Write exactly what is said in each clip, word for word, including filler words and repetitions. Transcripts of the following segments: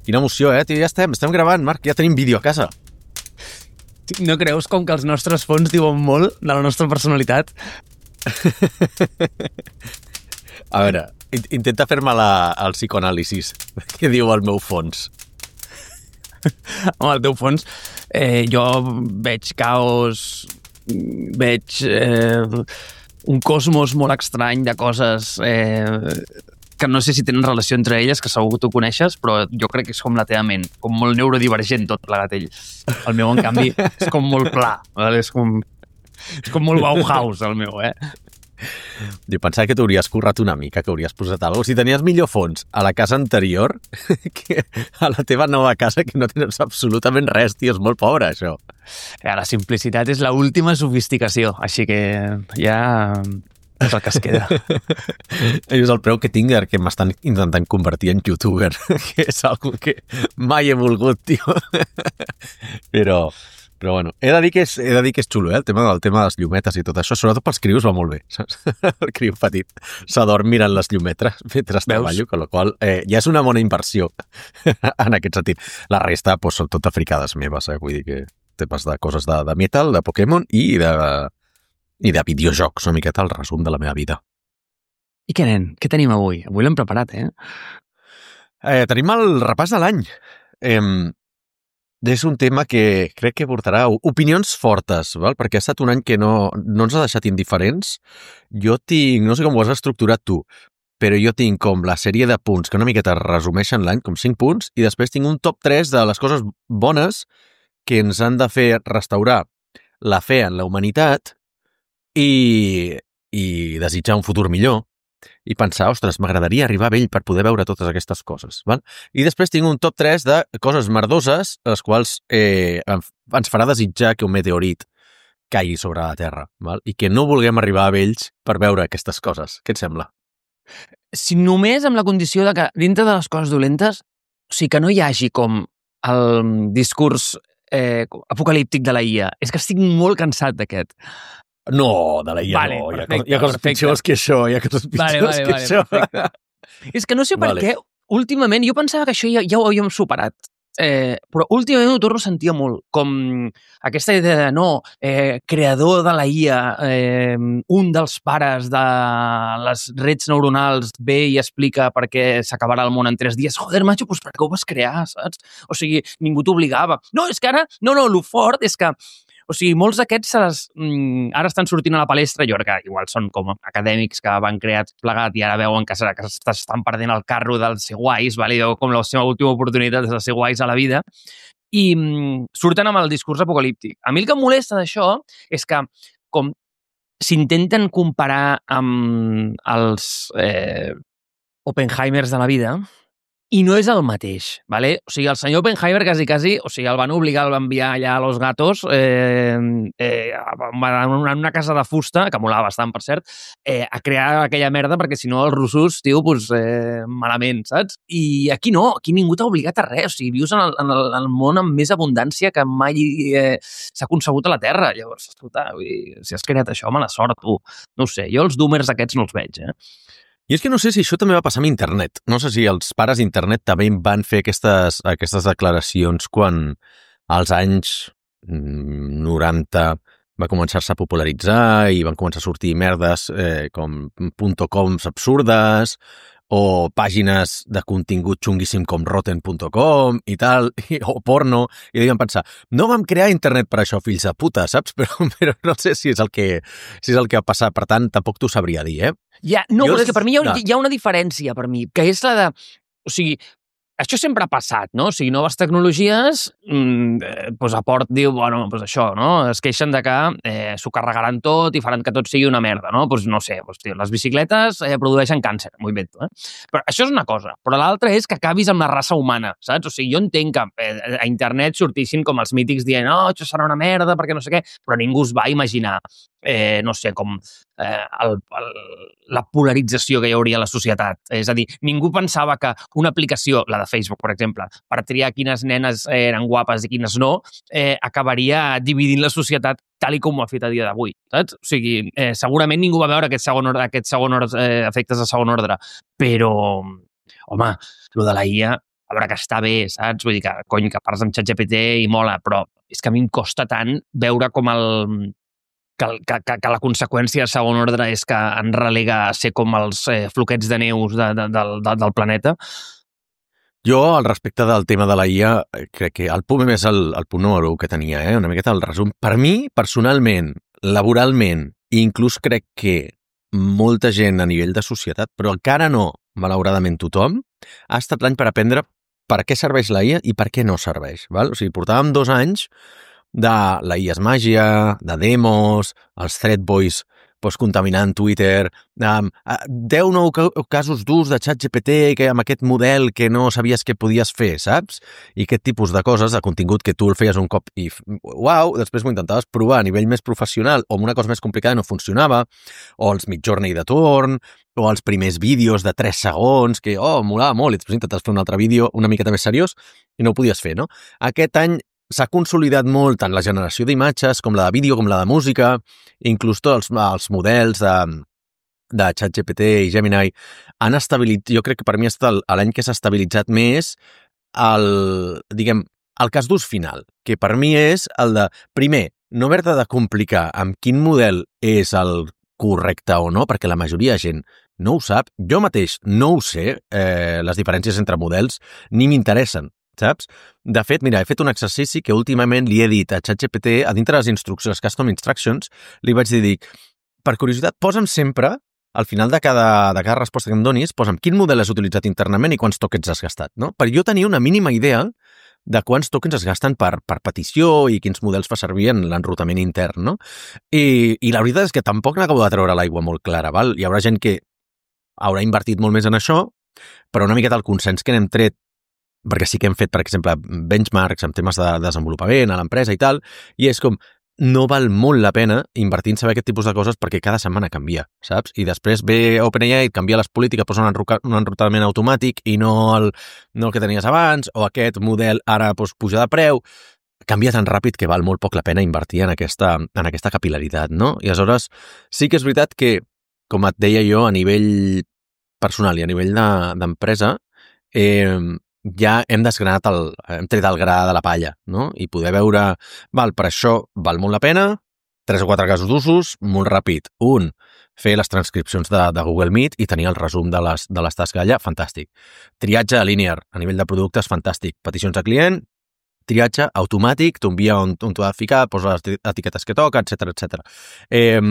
Quina emoció, eh? Ja estem, estem gravant, Marc, ja tenim vídeo a casa. No creus com que els nostres fons diuen molt de la nostra personalitat? A veure, intenta fer-me la, el psicoanàlisis. Què diu el meu fons? Home, el teu fons, eh, jo veig caos, veig eh, un cosmos molt estrany de coses eh, que no sé si tenen relació entre elles, que segur que tu coneixes, però jo crec que és com la teva ment, com molt neurodivergent tot plegat ell. El meu, en canvi, és com molt pla, vale? és, com, és com molt Bauhaus, el meu, eh? Jo pensava que t'hauries currat una mica, que hauries posat alguna cosa. Si tenies millor fons a la casa anterior que a la teva nova casa, que no tens absolutament res, tio, és molt pobre, això. La simplicitat és l'última sofisticació, així que ja és el que es queda. És el preu que tinc que m'estan intentant convertir en youtuber, que és algo que mai he volgut, tio. Però... Però bueno, he de dir que és, he de dir que és xulo, eh? El tema, el tema de les llumetes i tot això, sobretot pels crios va molt bé, saps? El criu petit s'adorm mirant les llumetes mentre treballo, amb la qual eh, ja és una bona inversió en aquest sentit. La resta pues, són tot fricades meves, eh? Vull dir que temes de coses de, de metal, de Pokémon i de, i de videojocs, una miqueta el resum de la meva vida. I què, nen? Què tenim avui? Avui l'hem preparat, eh? eh? Tenim el repàs de l'any. Eh, És un tema que crec que portarà opinions fortes, val? Perquè ha estat un any que no, no ens ha deixat indiferents. Jo tinc, no sé com ho has estructurat tu, però jo tinc com la sèrie de punts que una miqueta resumeixen l'any, com cinc punts, i després tinc un top tres de les coses bones que ens han de fer restaurar la fe en la humanitat i, i desitjar un futur millor. I pensar, ostres, m'agradaria arribar a vell per poder veure totes aquestes coses. Val? I després tinc un top tres de coses merdoses, les quals eh, ens farà desitjar que un meteorit caigui sobre la Terra, val? I que no vulguem arribar a vells per veure aquestes coses. Què et sembla? Si només amb la condició de que dintre de les coses dolentes, o sigui, que no hi hagi com el discurs eh, apocalíptic de la I A. És que estic molt cansat d'aquest. No, de la I A vale, no, perfecte, hi ha, hi ha coses perfecte. pitjors que això, hi ha coses pitjors vale, vale, que vale, això. Perfecte. És que no sé per Vale. què, últimament, jo pensava que això ja, ja ho havíem superat, eh, però últimament ho torno a sentir molt, com aquesta idea de no, eh, creador de la I A, eh, un dels pares de les rets neuronals ve i explica per què s'acabarà el món en tres dies. Joder, macho, doncs per què ho vas crear, saps? O sigui, ningú t'obligava. No, és que ara, no, no, lo fort és que o sigui, molts d'aquests se les, mm, ara estan sortint a la palestra, jo crec que igual són com acadèmics que van crear plegat i ara veuen que, que estan perdent el carro del ser guais, vale? Com la seva última oportunitat és de ser guais a la vida, i mm, surten amb el discurs apocalíptic. A mi el que em molesta d'això és que com s'intenten comparar amb els eh, Oppenheimers de la vida, i no és el mateix, ¿vale? O sigui, el senyor Oppenheimer quasi, quasi, o sigui, el van obligar, el van enviar allà a Los Gatos, eh, eh, en una casa de fusta, que molava bastant, per cert, eh, a crear aquella merda, perquè si no els russos, tio, pues, eh, malament, saps? I aquí no, aquí ningú t'ha obligat a res, o sigui, vius en el, en el, en el món amb més abundància que mai eh, s'ha concebut a la Terra. Llavors, escolta, vull dir, si has creat això, mala sort, tu. No ho sé, jo els doomers aquests no els veig, eh? I és que no sé si això també va passar amb internet. No sé si els pares d'internet també van fer aquestes, aquestes declaracions quan als anys noranta va començar-se a popularitzar i van començar a sortir merdes eh, com .coms absurdes o pàgines de contingut xunguíssim com rotten punt com i tal, i, o porno, i devien pensar, no vam crear internet per això, fills de puta, saps? Però, però no sé si és el que, si és el que ha passat, per tant, tampoc t'ho sabria dir, eh? Ja, no, Jo però és des- que per mi hi ha, no. hi ha una diferència, per mi, que és la de... O sigui, això sempre ha passat, no? O sigui, noves tecnologies, mmm, eh, doncs Aport diu, bueno, doncs això, no? Es queixen de que eh, s'ho carregaran tot i faran que tot sigui una merda, no? Doncs no sé, doncs, tio, les bicicletes eh, produeixen càncer, m'ho invento, eh? Però això és una cosa, però l'altra és que acabis amb la raça humana, saps? O sigui, jo entenc que eh, a internet sortissin com els mítics dient, oh, això serà una merda, perquè no sé què, però ningú es va imaginar, eh, no sé, com eh, el, el, la polarització que hi hauria a la societat. És a dir, ningú pensava que una aplicació, la de Facebook, per exemple, per triar quines nenes eren guapes i quines no, eh, acabaria dividint la societat tal i com ho ha fet a dia d'avui, saps? O sigui, eh, segurament ningú va veure aquest segon ordre, aquests segon ordre, eh, efectes de segon ordre, però, home, lo de la I A a veure que està bé, saps? Vull dir que, cony, que parles amb ChatGPT i mola, però és que a mi em costa tant veure com el... Que, que, que, que la conseqüència de segon ordre és que en relega a ser com els eh, floquets de neus de, de, de, de, del planeta. Jo, al respecte del tema de la I A, crec que el punt més el, el punt número u que tenia, eh? Una miqueta el resum. Per mi, personalment, laboralment, i inclús crec que molta gent a nivell de societat, però encara no, malauradament tothom, ha estat l'any per aprendre per què serveix la I A i per què no serveix. Val? O sigui, portàvem dos anys de la I A és màgia, de demos, els thread boys pues, contaminant Twitter, um, deu nou casos d'ús de ChatGPT que amb aquest model que no sabies que podies fer, saps? I aquest tipus de coses, de contingut que tu el feies un cop i uau, després m'ho intentaves provar a nivell més professional o amb una cosa més complicada no funcionava, o els Midjourney de torn, o els primers vídeos de tres segons que, oh, molava molt, i després intentes fer un altre vídeo una miqueta més seriós i no ho podies fer, no? Aquest any s'ha consolidat molt tant la generació d'imatges com la de vídeo, com la de música, inclús tots els, els models de, de ChatGPT i Gemini han estabilitzat, jo crec que per mi ha estat l'any que s'ha estabilitzat més el, diguem, el cas d'ús final, que per mi és el de, primer, no haver-te de complicar amb quin model és el correcte o no, perquè la majoria de gent no ho sap. Jo mateix no ho sé, eh, les diferències entre models, ni m'interessen, saps? De fet, mira, he fet un exercici que últimament li he dit a ChatGPT, a dintre de les instruccions, custom instructions, li vaig dir, dic, per curiositat, posa'm sempre, al final de cada, de cada resposta que em donis, posa'm quin model has utilitzat internament i quants tokens has gastat, no? Per jo tenia una mínima idea de quants tokens es gasten per, per petició i quins models fa servir en l'enrutament intern, no? I, i la veritat és que tampoc n'acabo de treure l'aigua molt clara, val? Hi haurà gent que haurà invertit molt més en això, però una miqueta el consens que n'hem tret, perquè sí que hem fet, per exemple, benchmarks en temes de desenvolupament a l'empresa i tal, i és com, no val molt la pena invertir en saber aquest tipus de coses perquè cada setmana canvia, saps? I després ve OpenAI, canvia les polítiques, posa un, un enrutament automàtic i no el, no el que tenies abans, o aquest model ara pues, puja de preu, canvia tan ràpid que val molt poc la pena invertir en aquesta, en aquesta capil·laritat, no? I aleshores sí que és veritat que, com et deia jo, a nivell personal i a nivell d'empresa, de, eh, ja hem desgranat el, hem tret el gra de la palla, no? I poder veure, val, per això val molt la pena, tres o quatre casos d'usos, molt ràpid. Un, fer les transcripcions de, de Google Meet i tenir el resum de les, de les tasques allà, fantàstic. Triatge linear, a nivell de productes, fantàstic. Peticions de client, triatge automàtic, t'ho envia on, on t'ho ha de ficar, posa les etiquetes que toca, etcètera, etcètera. Eh,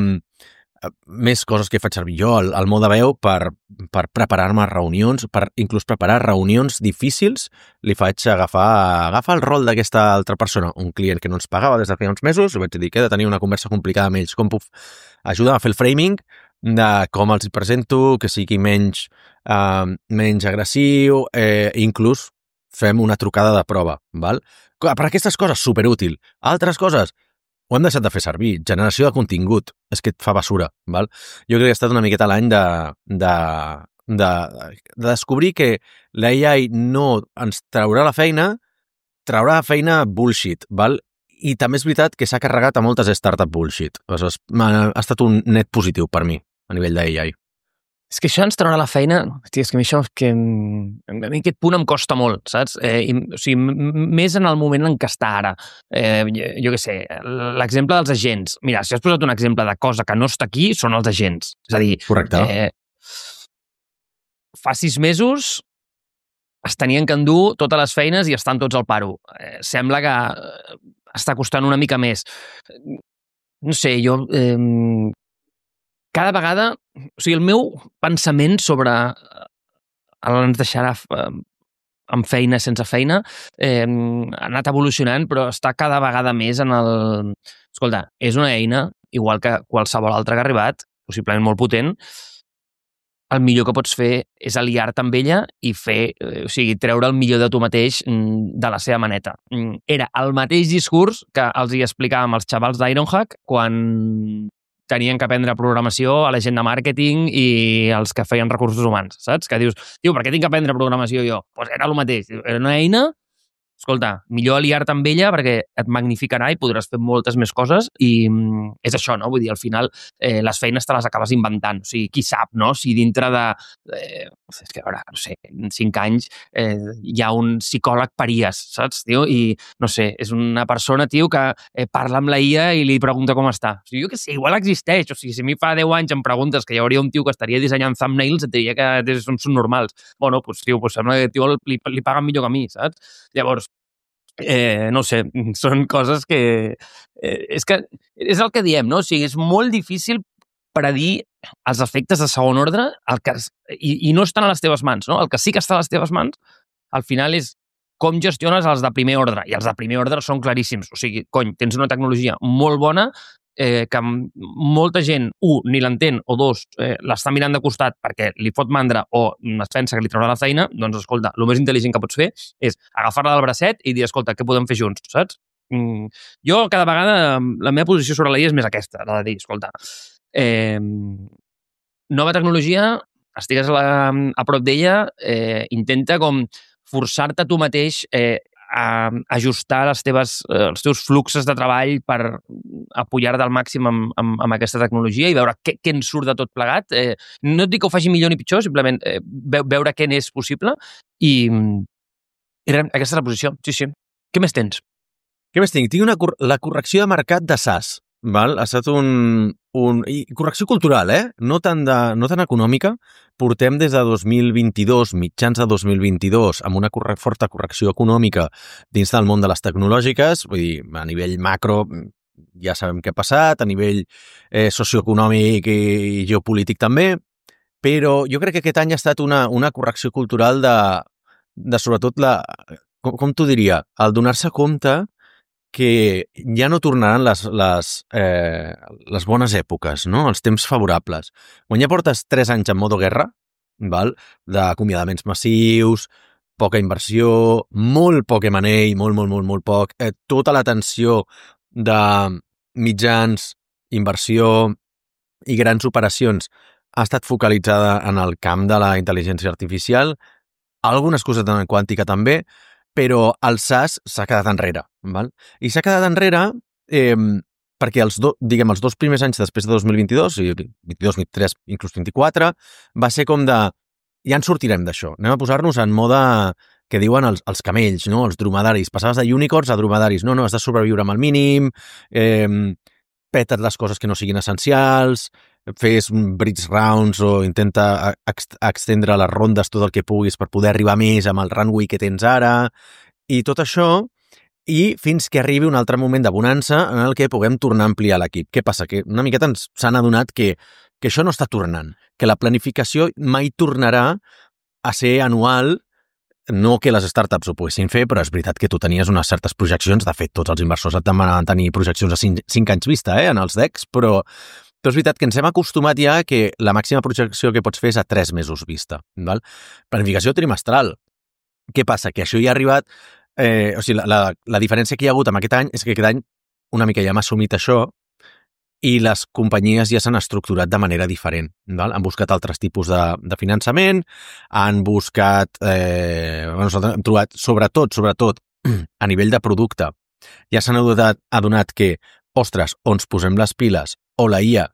més coses que faig servir jo, el, el mode veu per, per preparar-me reunions, per inclús preparar reunions difícils, li faig agafar, agafar el rol d'aquesta altra persona, un client que no ens pagava des de feia uns mesos, li vaig dir que he de tenir una conversa complicada amb ells, com puc ajudar a fer el framing de com els presento, que sigui menys, eh, menys agressiu, eh, inclús fem una trucada de prova, val? Per aquestes coses, superútil. Altres coses, ho hem deixat de fer servir. Generació de contingut. És que et fa basura, val? Jo crec que ha estat una miqueta l'any de, de, de, de descobrir que la A I no ens traurà la feina, traurà la feina bullshit, val? I també és veritat que s'ha carregat a moltes startup bullshit. Aleshores, ha estat un net positiu per mi, a nivell de A I. És que això ens traurà la feina, hosti, és que a mi això, que, a mi aquest punt em costa molt, saps? Eh, i, o sigui, més en el moment en què està ara. Eh, jo, jo què sé, l'exemple dels agents. Mira, si has posat un exemple de cosa que no està aquí, són els agents. És a dir, correcte. Eh, fa sis mesos es tenien que endur totes les feines i estan tots al paro. Eh, sembla que està costant una mica més. No sé, jo... Eh, cada vegada, o sigui, el meu pensament sobre ens deixarà amb feina, sense feina, eh, ha anat evolucionant, però està cada vegada més en el... Escolta, és una eina, igual que qualsevol altra que ha arribat, possiblement molt potent, el millor que pots fer és aliar-te amb ella i fer, o sigui, treure el millor de tu mateix de la seva maneta. Era el mateix discurs que els hi explicàvem als xavals d'Ironhack quan tenien que aprendre programació a la gent de màrqueting i els que feien recursos humans, saps? Que dius, tio, per què tinc que aprendre programació jo? Doncs pues era el mateix. Era una eina escolta, millor aliar-te amb ella perquè et magnificarà i podràs fer moltes més coses i mm, és això, no? Vull dir, al final eh, les feines te les acabes inventant. O sigui, qui sap, no? Si dintre de... Eh, és que, a veure, no sé, en cinc anys eh, hi ha un psicòleg paries, saps, tio? I, no sé, és una persona, tio, que eh, parla amb la I A i li pregunta com està. O sigui, jo què sé, igual existeix. O sigui, si a mi fa deu anys em preguntes que hi hauria un tio que estaria dissenyant thumbnails, et diria que són, són normals. Bueno, doncs, tio, pues sembla que tio li, li paguen millor que a mi, saps? Llavors, Eh, no sé, són coses que... Eh, és que és el que diem, no? O sigui, és molt difícil predir els efectes de segon ordre el que, i, i no estan a les teves mans, no? El que sí que està a les teves mans, al final és com gestiones els de primer ordre, i els de primer ordre són claríssims. O sigui, cony, tens una tecnologia molt bona eh, que molta gent, un, ni l'entén, o dos, eh, l'està mirant de costat perquè li fot mandra o es pensa que li traurà la feina, doncs, escolta, el més intel·ligent que pots fer és agafar-la del bracet i dir, escolta, què podem fer junts, saps? Mm, jo, cada vegada, la meva posició sobre la I A és més aquesta, la de dir, escolta, eh, nova tecnologia, estigues a, la, a prop d'ella, eh, intenta com forçar-te tu mateix eh, a ajustar les teves, eh, els teus fluxes de treball per apoyar-te al màxim amb, amb, amb aquesta tecnologia i veure què, què en surt de tot plegat. Eh, no et dic que ho faci millor ni pitjor, simplement eh, veure què n'és possible i, i res, aquesta és la posició. Sí, sí. Què més tens? Què més tinc? Tinc una, la correcció de mercat de SaaS. Val? Ha estat un, un... I correcció cultural, eh? No tan, de, no tan econòmica. Portem des de dos mil vint-i-dos, mitjans de dos mil vint-i-dos, amb una corre, forta correcció econòmica dins del món de les tecnològiques. Vull dir, a nivell macro ja sabem què ha passat, a nivell eh, socioeconòmic i geopolític també, però jo crec que aquest any ha estat una, una correcció cultural de, de sobretot la... Com, com t'ho diria? El donar-se compte que ja no tornaran les, les, eh, les bones èpoques, no? Els temps favorables. Quan ja portes tres anys en modo guerra, val? D'acomiadaments massius, poca inversió, molt poc M and A, molt, molt, molt, molt poc, eh, tota la tensió de mitjans, inversió i grans operacions ha estat focalitzada en el camp de la intel·ligència artificial, algunes coses de quàntica també, però el SaaS s'ha quedat enrere, val? I s'ha quedat enrere eh, perquè els, do, diguem, els dos primers anys després de dos mil vint-i-dos, vint-i-dos, vint-i-tres, inclús vint-i-quatre, va ser com de, ja en sortirem d'això, anem a posar-nos en mode que diuen els, els camells, no? Els dromedaris, passaves de unicorns a dromedaris, no, no, has de sobreviure amb el mínim, eh, peta't les coses que no siguin essencials, fes bridge rounds o intenta ex extendre les rondes tot el que puguis per poder arribar més amb el runway que tens ara i tot això, i fins que arribi un altre moment de bonança en el que puguem tornar a ampliar l'equip. Què passa? Que una miqueta ens s'han adonat que, que això no està tornant, que la planificació mai tornarà a ser anual, no que les startups ho poguessin fer, però és veritat que tu tenies unes certes projeccions, de fet tots els inversors et demanen tenir projeccions a cinc anys vista eh, en els decks, però Però és veritat que ens hem acostumat ja que la màxima projecció que pots fer és a tres mesos vista. Val? Planificació trimestral. Què passa? Que això ja ha arribat... Eh, o sigui, la, la, la diferència que hi ha hagut amb aquest any és que aquest any una mica ja hem assumit això i les companyies ja s'han estructurat de manera diferent. Val? Han buscat altres tipus de, de finançament, han buscat... Eh, bueno, hem trobat, sobretot, sobretot, a nivell de producte, ja s'han adonat, adonat que, ostres, on ens posem les piles o la I A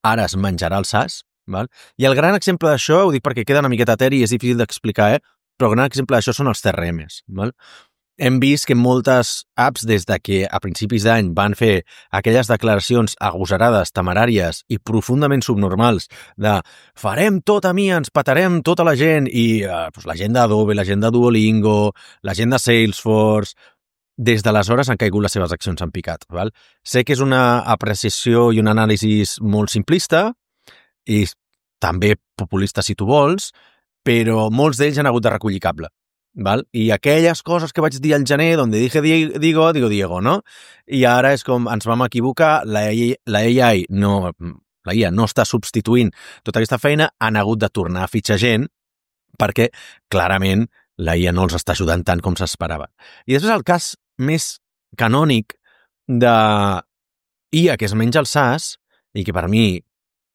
ara es menjarà el SaaS, val? I el gran exemple d'això, ho dic perquè queda una miqueta eteri i és difícil d'explicar, eh? Però el gran exemple d'això són els C R Ms. Val? Hem vist que moltes apps, des de que a principis d'any van fer aquelles declaracions agosarades, temeràries i profundament subnormals de farem tot a mi, ens petarem tota la gent, i eh, doncs la gent d'Adobe, la gent de Duolingo, la gent de Salesforce... Des d'aleshores han caigut les seves accions en picat. Val? Sé que és una apreciació i un anàlisi molt simplista i també populista si tu vols, però molts d'ells han hagut de recollir cable. Val? I aquelles coses que vaig dir al gener, donde dije digo, digo Diego, no? I ara és com ens vam equivocar, la, la A I no, la I A no està substituint tota aquesta feina, han hagut de tornar a fitxar gent perquè clarament la I A no els està ajudant tant com s'esperava. I després el cas més canònic de I A que es menja el SaaS, i que per mi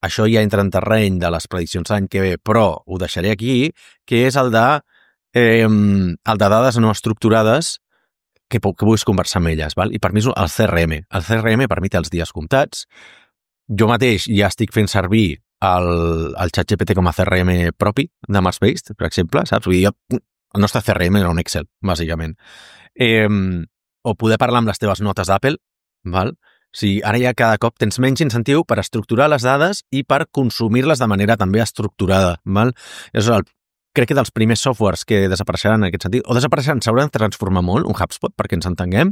això ja entra en terreny de les prediccions l'any que ve, però ho deixaré aquí, que és el de, eh, el de dades no estructurades que, que puguis conversar amb elles, val? I per mi és el C R M. El C R M per mi té els dies comptats. Jo mateix ja estic fent servir el, el ChatGPT com a C R M propi de Marsbased, per exemple, saps? Vull dir, jo, el nostre C R M era un Excel, bàsicament. Eh, o poder parlar amb les teves notes d'Apple, val? O sigui, ara ja cada cop tens menys incentiu per estructurar les dades i per consumir-les de manera també estructurada, val? És el, crec que dels primers softwares que desapareixeran en aquest sentit, o desapareixeran, s'hauran de transformar molt, un HubSpot, perquè ens entenguem,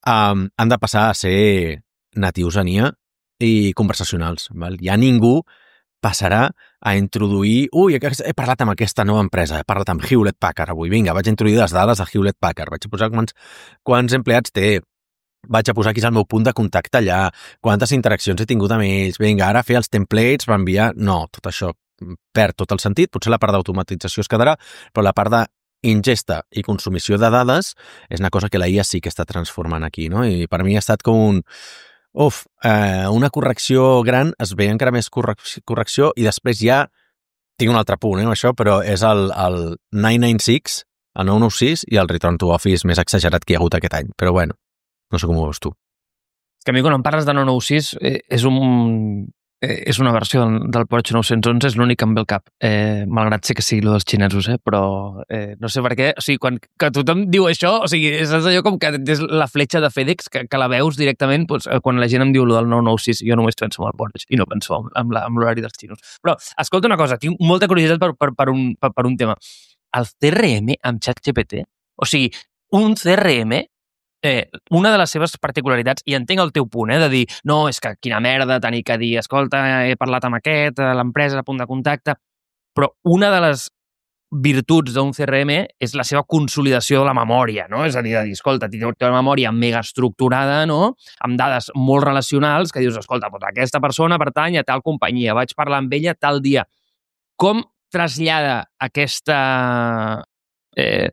um, han de passar a ser natius en I A i conversacionals, val? Ja ningú passarà a introduir... Ui, he parlat amb aquesta nova empresa, he parlat amb Hewlett Packard avui. Vinga, vaig introduir les dades de Hewlett Packard, vaig a posar quants, quants empleats té, vaig a posar aquí el meu punt de contacte allà, quantes interaccions he tingut amb ells, vinga, ara fer els templates per enviar... No, tot això perd tot el sentit, potser la part d'automatització es quedarà, però la part d'ingesta i consumició de dades és una cosa que la I A sí que està transformant aquí, no? I per mi ha estat com un... Uf, eh, una correcció gran, es ve encara més correcció i després ja tinc un altre punt, eh, això, però és el, el nou nou sis, el nou nou sis i el Return to Office més exagerat que hi ha hagut aquest any. Però bueno, no sé com ho veus tu. És que a mi quan em parles de nou nou sis eh, és un... Eh, és una versió del, del Porsche nou-cents onze, és l'únic que em ve al cap, eh, malgrat sé que sigui el dels xinesos, eh, però eh, no sé per què, o sigui, quan que tothom diu això, o sigui, és allò com que és la fletxa de FedEx, que, que la veus directament, doncs, quan la gent em diu el del nou nou sis, jo només penso en el Porsche i no penso en l'horari dels xinos. Però, escolta una cosa, tinc molta curiositat per, per, per, un, per, per un tema. El C R M amb ChatGPT, o sigui, un C R M Eh, una de les seves particularitats, i entenc el teu punt, eh, de dir, no, és que quina merda tenir que dir, escolta, he parlat amb aquest, l'empresa, punt de contacte, però una de les virtuts d'un C R M és la seva consolidació de la memòria, no? És a dir, de dir, escolta, té una memòria mega estructurada, no? Amb dades molt relacionals, que dius, escolta, doncs aquesta persona pertany a tal companyia, vaig parlar amb ella tal dia. Com trasllada aquesta eh,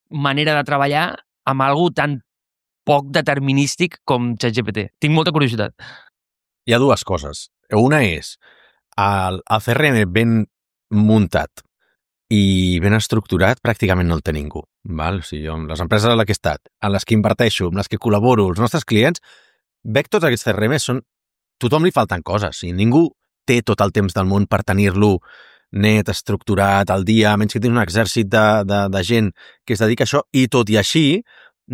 manera de treballar amb algú tan poc determinístic com ChatGPT? Tinc molta curiositat. Hi ha dues coses. Una és el, el C R M ben muntat i ben estructurat pràcticament no el té ningú. Val? O sigui, jo, les empreses en les que he estat, en les que inverteixo, en les que col·laboro, els nostres clients, veig tots aquests C R M, són... tothom li falten coses. O sigui, ningú té tot el temps del món per tenir-lo net, estructurat, al dia, a menys que tens un exèrcit de, de, de gent que es dedica a això, i tot i així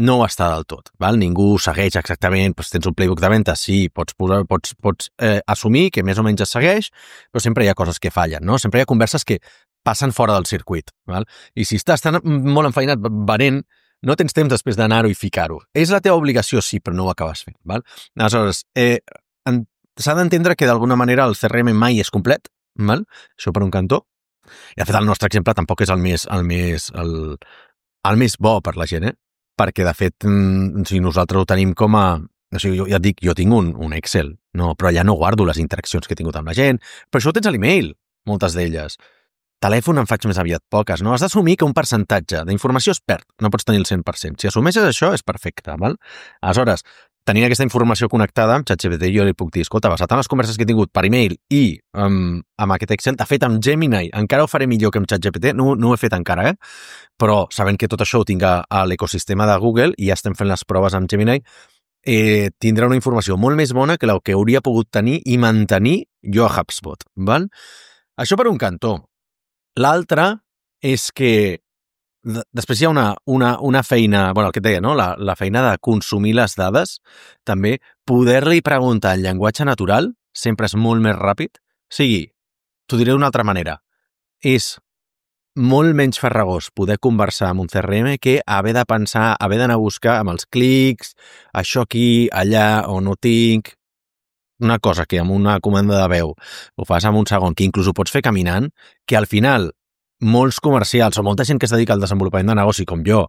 no ho està del tot. Val? Ningú segueix exactament, doncs tens un playbook de venda, sí, pots, posar, pots, pots eh, assumir que més o menys es segueix, però sempre hi ha coses que fallen, no? Sempre hi ha converses que passen fora del circuit. Val? I si estàs tan molt enfeinat venent, no tens temps després d'anar-ho i ficar-ho. És la teva obligació, sí, però no ho acabes fent. Val? Aleshores, eh, s'ha d'entendre que d'alguna manera el C R M mai és complet, val? Això per un cantó. I de fet el nostre exemple tampoc és el més, el més, el, el més bo per la gent, eh? Perquè de fet mm, si nosaltres ho tenim com a... O sigui, jo ja et dic, jo tinc un, un Excel, no, però allà no guardo les interaccions que he tingut amb la gent, però això ho tens a l'email, moltes d'elles. Telèfon en faig més aviat poques, no? Has d'assumir que un percentatge d'informació es perd, no pots tenir el cent per cent. Si assumeixes això, és perfecte, val? Aleshores, tenint aquesta informació connectada amb ChatGPT, jo li puc dir, escolta, basat en les converses que he tingut per email i um, amb aquest Excel, de fet amb Gemini, encara ho faré millor que amb ChatGPT, no, no ho he fet encara, eh? Però sabent que tot això ho tinc a, a l'ecosistema de Google i ja estem fent les proves amb Gemini, eh, tindrà una informació molt més bona que la que hauria pogut tenir i mantenir jo a HubSpot, val? Això per un cantó. L'altre és que després hi ha una, una, una feina, bueno, el que et deia, no? La, la feina de consumir les dades, també poder-li preguntar en llenguatge natural sempre és molt més ràpid. O sigui, t'ho diré d'una altra manera, és molt menys farragós poder conversar amb un C R M que haver de pensar, haver d'anar a buscar amb els clics, això aquí, allà, on ho tinc... Una cosa que amb una comanda de veu ho fas en un segon, que inclús ho pots fer caminant, que al final molts comercials o molta gent que es dedica al desenvolupament de negoci com jo,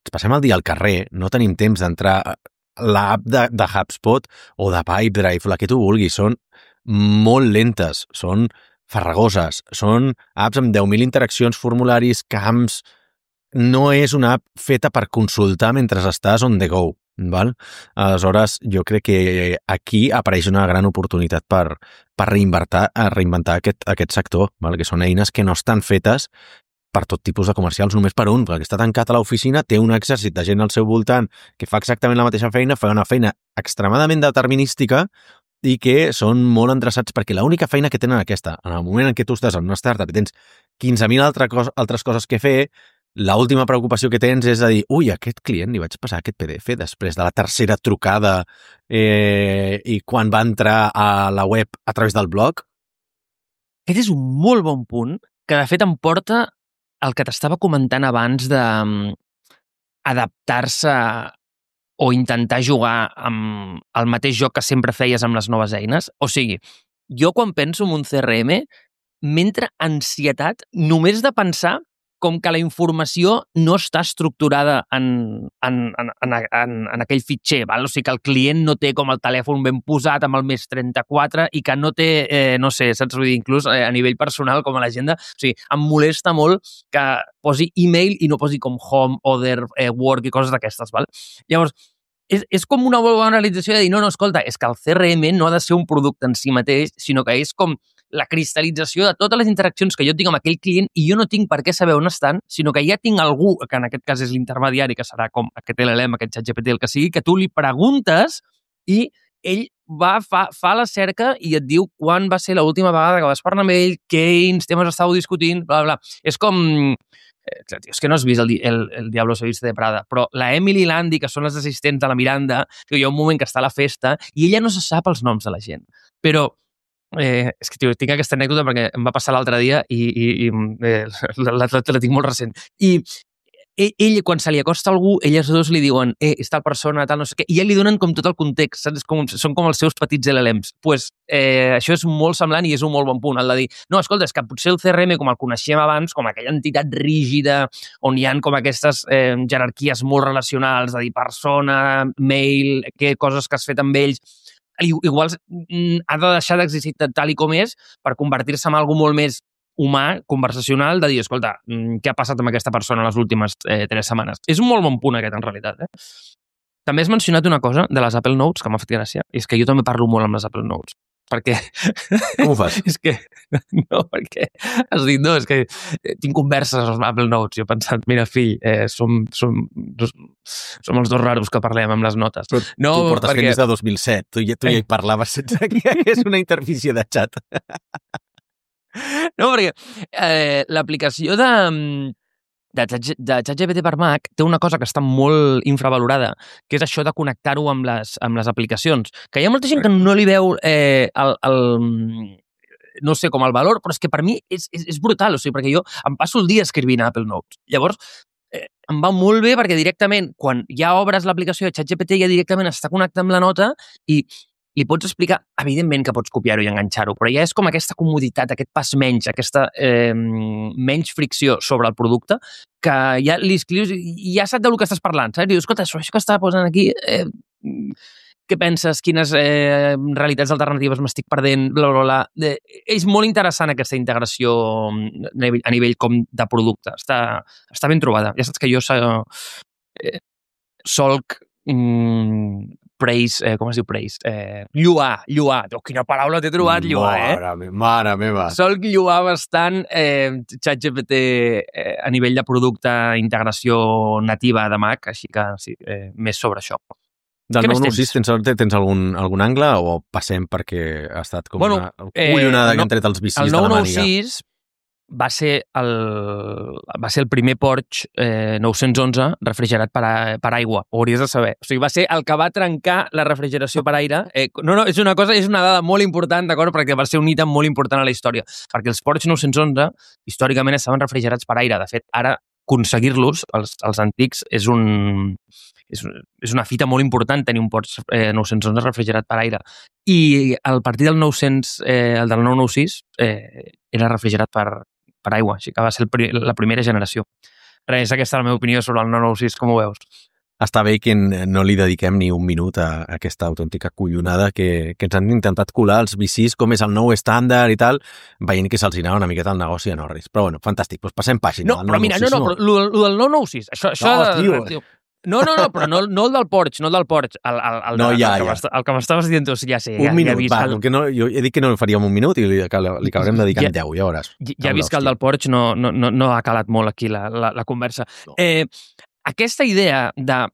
ens passem el dia al carrer, no tenim temps d'entrar a l'app de, de HubSpot o de Pipedrive, la que tu vulguis, són molt lentes, són farragoses, són apps amb deu mil interaccions, formularis, camps... No és una app feta per consultar mentre estàs on the go, val? Aleshores, jo crec que aquí apareix una gran oportunitat per, per reinventar, reinventar aquest, aquest sector, val? Que són eines que no estan fetes per tot tipus de comercials, només per un, perquè està tancat a l'oficina, té un exèrcit de gent al seu voltant que fa exactament la mateixa feina, fa una feina extremadament determinística i que són molt endreçats perquè l'única feina que tenen aquesta, en el moment en què tu estàs en una startup i tens quinze mil altre cos, altres coses que fer, l'última preocupació que tens és a dir, ui, a aquest client li vaig passar aquest P D F després de la tercera trucada eh, i quan va entrar a la web a través del blog. Aquest és un molt bon punt que de fet em porta el que t'estava comentant abans de um, adaptar-se o intentar jugar amb el mateix joc que sempre feies amb les noves eines. O sigui, jo quan penso en un C R M m'entra ansietat només de pensar com que la informació no està estructurada en, en, en, en, en, en aquell fitxer, val? O sigui que el client no té com el telèfon ben posat amb el més trenta-quatre i que no té, eh, no sé, saps? Vull dir, inclús eh, a nivell personal, com a l'agenda, o sigui, em molesta molt que posi email i no posi com home, other, eh, work i coses d'aquestes, val? Llavors, és, és com una bona realització de dir, no, no, escolta, és que el C R M no ha de ser un producte en si mateix, sinó que és com la cristal·lització de totes les interaccions que jo tinc amb aquell client i jo no tinc per què saber on estan, sinó que ja tinc algú, que en aquest cas és l'intermediari, que serà com aquest L L M, aquest ChatGPT, el que sigui, que tu li preguntes i ell va, fa, fa la cerca i et diu quan va ser l'última vegada que vas parlar amb ell, quins temes estàveu discutint, bla, bla. És com... És que no has vist el, el, el Diablo se viste de Prada, però la Emily i l'Andy, que són les assistents de la Miranda, que hi ha un moment que està a la festa i ella no se sap els noms de la gent. Però Eh, és que, tio, tinc aquesta anècdota perquè em va passar l'altre dia i, i, i eh, la, la, la tinc molt recent. I ell, ell, quan se li acosta algú, elles dos li diuen eh, és tal persona, tal no sé què, i ja li donen com tot el context, saps? Com, són com els seus petits L L Ms. Pues, eh, això és molt semblant i és un molt bon punt, el de dir, no, escolta, és que potser el C R M, com el coneixem abans, com aquella entitat rígida, on hi ha com aquestes eh, jerarquies molt relacionals, de dir persona, mail, què coses que has fet amb ells, igual ha de deixar d'existir tal i com és per convertir-se en algo molt més humà, conversacional, de dir, escolta, què ha passat amb aquesta persona les últimes eh, tres setmanes? És un molt bon punt aquest, en realitat. Eh? També has mencionat una cosa de les Apple Notes que m'ha fet gràcia, i és que jo també parlo molt amb les Apple Notes. Perquè... Com ho fas? és que... No, perquè has dit, no, és que tinc converses amb Apple Notes. Jo he pensat, mira, fill, eh, som, som, som els dos raros que parlem amb les notes. Però no, tu portes perquè... fent des de dos mil set. Tu ja, tu ja hi parlaves sense que hi hagués una interfície de xat. No, perquè eh, l'aplicació de... de ChatGPT per Mac té una cosa que està molt infravalorada, que és això de connectar-ho amb les, amb les aplicacions. Que hi ha molta gent que no li veu eh, el, el, no sé, com el valor, però és que per mi és, és, és brutal, o sigui, perquè jo em passo el dia escrivint a Apple Notes. Llavors, eh, em va molt bé perquè directament, quan ja obres l'aplicació de ChatGPT, ja directament està connectat amb la nota i li pots explicar, evidentment que pots copiar-ho i enganxar-ho, però ja és com aquesta comoditat, aquest pas menys, aquesta eh, menys fricció sobre el producte, que ja li escrius i ja sap del que estàs parlant, saps? Dius, escolta, això que està posant aquí, eh, què penses? Quines eh, realitats alternatives m'estic perdent? Bla, bla, bla. De, és molt interessant aquesta integració a nivell, a nivell com de producte. Està, està ben trobada. Ja saps que jo eh, solc mm, praise, eh, com es diu praise? Eh, lluar, lluar. Oh, quina paraula t'he trobat, lluar, eh? Mare meva, mare meva. Sol lluar bastant eh, ChatGPT eh, a nivell de producte, integració nativa de Mac, així que sí, eh, més sobre això. Del nou nou sis tens, tens algun, algun angle o passem perquè ha estat com bueno, una collonada eh, que han tret els vicis de la màniga? El nou nou sis va ser el, va ser el primer Porsche eh, nou-cents onze refrigerat per, a, per aigua, ho hauries de saber. O sigui, va ser el que va trencar la refrigeració per aire. Eh, no, no, és una cosa, és una dada molt important, d'acord? Perquè va ser un ítem molt important a la història. Perquè els Porsche nou-cents onze, històricament, estaven refrigerats per aire. De fet, ara, aconseguir-los, els, els antics, és un... És, és una fita molt important tenir un Porsche eh, nou-cents onze refrigerat per aire. I a partir del nou-cents, eh, el del nou nou sis, eh, era refrigerat per, per aigua, així que va ser el pri la primera generació. Res, aquesta és la meva opinió sobre el nou nou sis, com ho veus? Està bé que no li dediquem ni un minut a aquesta autèntica collonada que, que ens han intentat colar els V Cis, com és el nou estàndard i tal, veient que se'ls anava una miqueta al negoci a Norris. Però bueno, fantàstic, doncs passem pàgina. No, però mira, no, no, però el del nou nou sis, això... això no, tio, tio. No, no, no, però no, no el del Porsche, no el del Porsche. El, el, el, No, de, ja, el, que ja. m'esta- el que m'estaves dient tu, ja sé. Un ja, minut, ja he vist va, el, que no, jo he dit que no el faríem un minut i li, que li acabarem dedicant Ja- deu, ja veuràs. Ja, ja he Amb vist que el l'hòstia. del Porsche no, no, no, no ha calat molt aquí la, la, la conversa. No. Eh, aquesta idea de...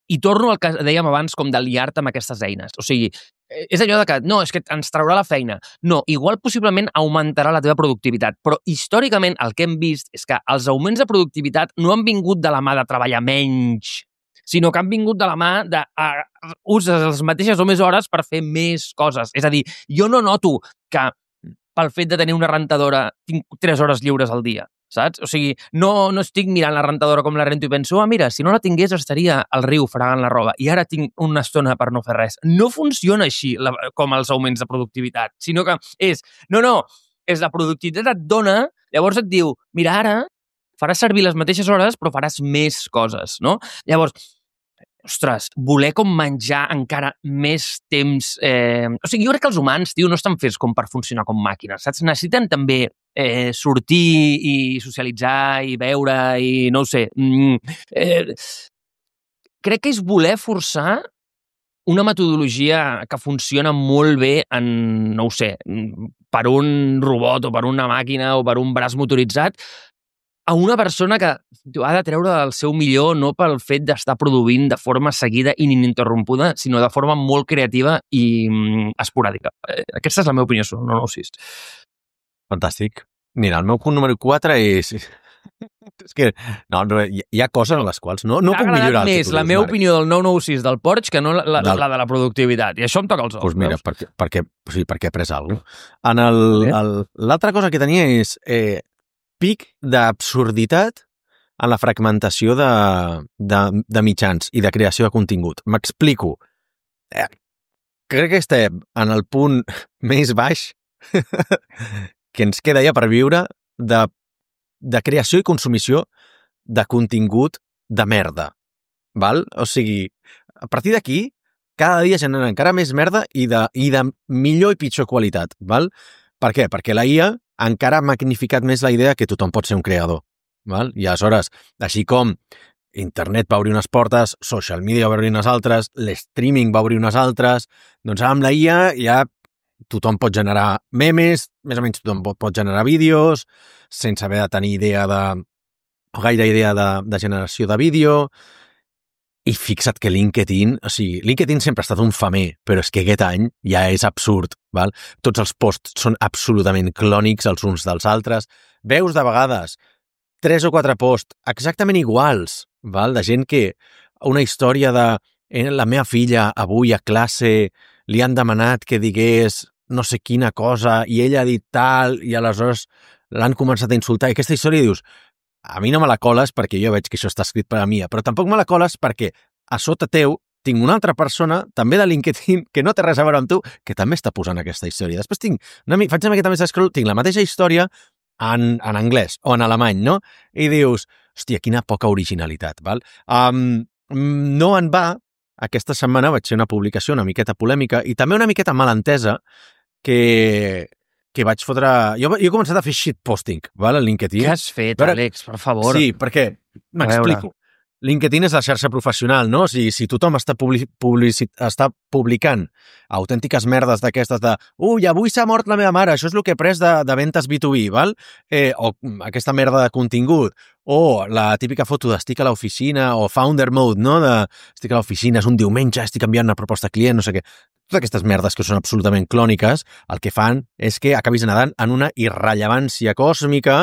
I torno al que dèiem abans, com de liar-te amb aquestes eines. O sigui, eh, és allò de que, no, és que ens traurà la feina. No, igual possiblement augmentarà la teva productivitat, però històricament el que hem vist és que els augments de productivitat no han vingut de la mà de treballar menys, sinó que han vingut de la mà de uh, uses les mateixes o més hores per fer més coses. És a dir, jo no noto que pel fet de tenir una rentadora tinc tres hores lliures al dia, saps? O sigui, no, no estic mirant la rentadora com la rento i penso, ah, mira, si no la tingués estaria al riu fregant la roba i ara tinc una estona per no fer res. No funciona així la, com els augments de productivitat, sinó que és, no, no, és la productivitat et dona, llavors et diu, mira, ara faràs servir les mateixes hores però faràs més coses, no? Llavors, ostres, voler com menjar encara més temps... Eh... O sigui, jo crec que els humans, tio, no estan fets com per funcionar com màquines, saps? Necessiten també eh, sortir i socialitzar i veure i no ho sé. Mm, eh... Crec que és voler forçar una metodologia que funciona molt bé en, no ho sé, per un robot o per una màquina o per un braç motoritzat, a una persona que ha de treure el seu millor no pel fet d'estar produint de forma seguida i ininterrompuda, sinó de forma molt creativa i mm, esporàdica. Eh, aquesta és la meva opinió sobre el nou nou sis. Fantàstic. Mira, el meu punt número quatre és... és que no, no, hi, hi ha coses en les quals no, no puc millorar. M'ha agradat més la meva opinió del nou nou sis del Porsche que no la, la, del... la de la productivitat. I això em toca els ous. Doncs pues mira, perquè, perquè, sí, perquè he pres alguna cosa. L'altra cosa que tenia és eh, pic d'absurditat en la fragmentació de, de, de mitjans i de creació de contingut. M'explico. Eh, crec que estem en el punt més baix que ens queda ja per viure de, de creació i consumició de contingut de merda. Val? O sigui, a partir d'aquí, cada dia generen encara més merda i de, i de millor i pitjor qualitat. Val? Per què? Perquè la I A encara ha magnificat més la idea que tothom pot ser un creador. Val? I aleshores, així com internet va obrir unes portes, social media va obrir unes altres, l'streaming va obrir unes altres, doncs amb la I A ja tothom pot generar memes, més o menys tothom pot, pot generar vídeos, sense haver de tenir idea de, o gaire idea de, de generació de vídeo. I fixa't que LinkedIn, o sigui, LinkedIn sempre ha estat un famer, però és que aquest any ja és absurd, val? Tots els posts són absolutament clònics els uns dels altres. Veus de vegades tres o quatre posts exactament iguals, val? De gent que una història de eh, la meva filla avui a classe li han demanat que digués no sé quina cosa i ella ha dit tal i aleshores l'han començat a insultar. I aquesta història dius, a mi no me la coles perquè jo veig que això està escrit per a mi, però tampoc me la coles perquè a sota teu tinc una altra persona, també de LinkedIn, que no té res a veure amb tu, que també està posant aquesta història. Després tinc, una, faig una miqueta més d'escroll, tinc la mateixa història en, en anglès o en alemany, no? I dius, hòstia, quina poca originalitat, val? Um, no en va, aquesta setmana vaig fer una publicació una miqueta polèmica i també una miqueta malentesa que... que vaig fotre... Jo, jo he començat a fer shitposting, val, a LinkedIn. Què has fet, Però... Àlex, per favor? Sí, perquè, m'explico. LinkedIn és la xarxa professional, no? O sigui, si tothom està, public, publici, està publicant autèntiques merdes d'aquestes de ui, avui s'ha mort la meva mare, això és el que he pres de, de ventes B dos B, val? Eh, o aquesta merda de contingut, o la típica foto d'estic a l'oficina, o founder mode, no? De estic a l'oficina, és un diumenge, estic enviant una proposta a client, no sé què. Totes aquestes merdes que són absolutament clòniques, el que fan és que acabis nedant en una irrellevància còsmica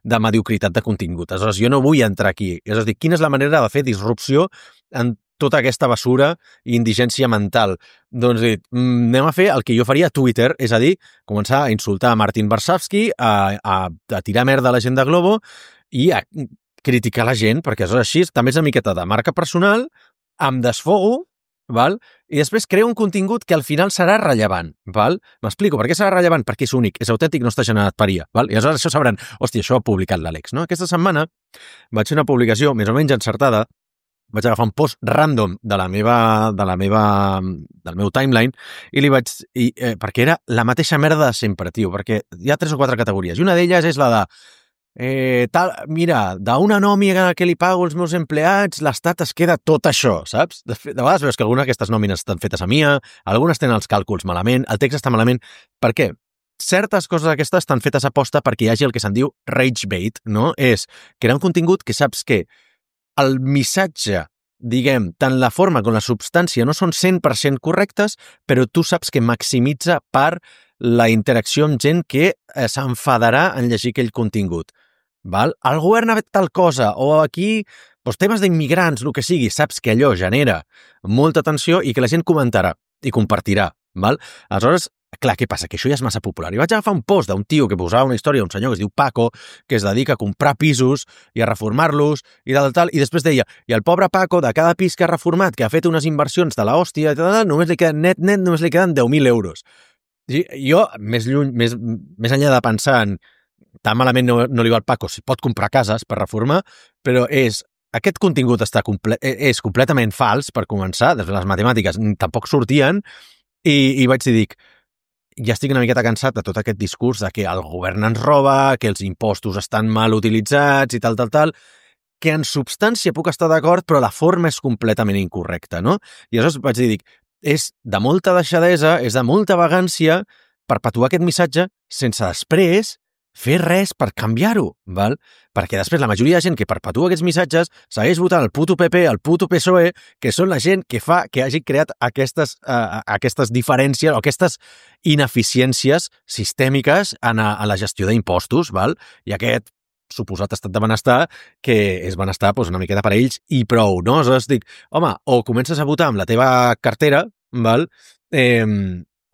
de mediocritat de contingut. Aleshores, jo no vull entrar aquí. És a dir, quina és la manera de fer disrupció en tota aquesta basura i indigència mental? Doncs dit, anem a fer el que jo faria a Twitter, és a dir, començar a insultar a Martin Varsavsky, a, a, a tirar merda a la gent de Globo i a criticar la gent, perquè aleshores així també és una miqueta de marca personal, em desfogo, val? I després creo un contingut que al final serà rellevant. Val? M'explico, per què serà rellevant? Perquè és únic, és autèntic, no està generat per I A. Val? I aleshores això sabran, hòstia, això ho ha publicat l'Àlex. No? Aquesta setmana vaig fer una publicació més o menys encertada, vaig agafar un post random de la meva, de la meva, del meu timeline i li vaig... I, eh, perquè era la mateixa merda de sempre, tio, perquè hi ha tres o quatre categories. I una d'elles és la de eh, tal, mira, d'una nòmina que li pago als meus empleats, l'Estat es queda tot això, saps? De, fet, de vegades veus que algunes d'aquestes nòmines estan fetes a M I A, algunes tenen els càlculs malament, el text està malament. Per què? Certes coses d'aquestes estan fetes a posta perquè hi hagi el que se'n diu rage bait, no? És crear un contingut que saps que el missatge, diguem, tant la forma com la substància no són cent per cent correctes, però tu saps que maximitza per la interacció amb gent que eh, s'enfadarà en llegir aquell contingut. Val? El govern ha fet tal cosa, o aquí doncs, temes d'immigrants, el que sigui, saps que allò genera molta tensió i que la gent comentarà i compartirà. Val? Aleshores, clar, què passa? Que això ja és massa popular. I vaig agafar un post d'un tio que posava una història d'un senyor que es diu Paco, que es dedica a comprar pisos i a reformar-los i tal, tal, i després deia, i el pobre Paco, de cada pis que ha reformat, que ha fet unes inversions de l'hòstia, tal, tal, només li queden net, net, només li queden deu mil euros. I jo, més lluny, més, més enllà de pensar en tan malament no, no li va al Paco, si pot comprar cases per reformar, però és, aquest contingut està comple és completament fals, per començar, des de les matemàtiques tampoc sortien, i, i vaig dir, dic, ja estic una miqueta cansat de tot aquest discurs de que el govern ens roba, que els impostos estan mal utilitzats i tal, tal, tal, que en substància puc estar d'acord, però la forma és completament incorrecta, no? I aleshores vaig dir, dic, és de molta deixadesa, és de molta vagància perpetuar aquest missatge sense després fer res per canviar-ho, val? Perquè després la majoria de gent que perpetua aquests missatges segueix votant el puto P P, el puto P S O E, que són la gent que fa que hagi creat aquestes, uh, aquestes diferències o aquestes ineficiències sistèmiques en, a, en la gestió d'impostos, val? I aquest suposat estat de benestar, que és benestar doncs, una miqueta per a ells i prou, no? Aleshores dic, home, o comences a votar amb la teva cartera, val? Eh,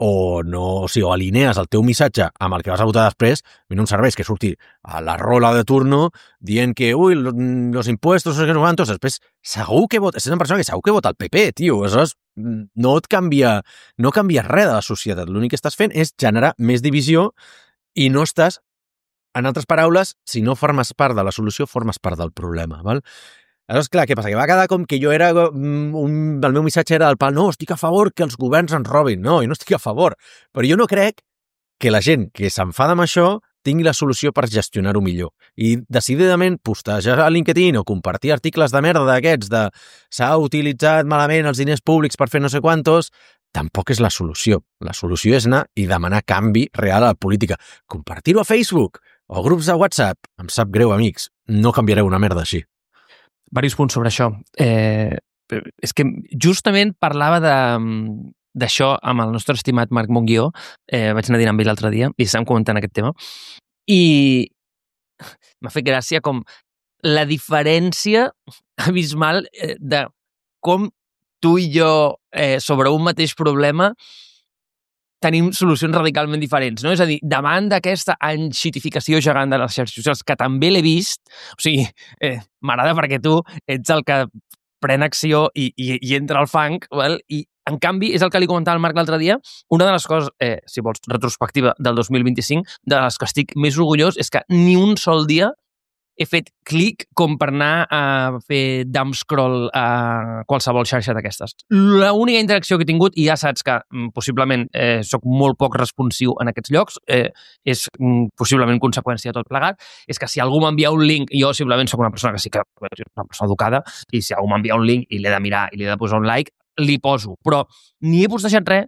o no, o sigui, o alinees el teu missatge amb el que vas a votar després, a mi no em serveix que surti a la rola de turno dient que, ui, los impuestos, no sé quantos, després segur que vota, és una persona que segur que vota el P P, tio, aleshores no et canvia, no canvia res de la societat, l'únic que estàs fent és generar més divisió i no estàs, en altres paraules, si no formes part de la solució, formes part del problema, val? Aleshores, clar, què passa? Que va quedar com que jo era... Un, el meu missatge era del pal, no, estic a favor que els governs ens robin. No, jo no estic a favor. Però jo no crec que la gent que s'enfada amb això tingui la solució per gestionar-ho millor. I decididament postejar a LinkedIn o compartir articles de merda d'aquests de s'ha utilitzat malament els diners públics per fer no sé quantos, tampoc és la solució. La solució és anar i demanar canvi real a la política. Compartir-ho a Facebook o grups de WhatsApp. Em sap greu, amics. No canviareu una merda així. Varis punts sobre això. Eh, és que justament parlava de d'això amb el nostre estimat Marc Monguió. Eh, vaig anar a dinar amb ell l'altre dia i estàvem comentant aquest tema. I m'ha fet gràcia com la diferència abismal de com tu i jo eh, sobre un mateix problema tenim solucions radicalment diferents, no? És a dir, davant d'aquesta enxitificació gegant de les xarxes socials, que també l'he vist, o sigui, eh, m'agrada perquè tu ets el que pren acció i, i, i entra al fang, val? I en canvi, és el que li comentava al Marc l'altre dia, una de les coses, eh, si vols, retrospectiva del dos mil vint-i-cinc, de les que estic més orgullós, és que ni un sol dia he fet clic com per anar a fer dumb scroll a qualsevol xarxa d'aquestes. L'única interacció que he tingut, i ja saps que mm, possiblement eh, soc molt poc responsiu en aquests llocs, eh, és mm, possiblement conseqüència de tot plegat, és que si algú m'envia un link, jo simplement soc una persona que sí que és una persona educada, i si algú m'envia un link i l'he de mirar i l'he de posar un like, li poso. Però ni he postejat res,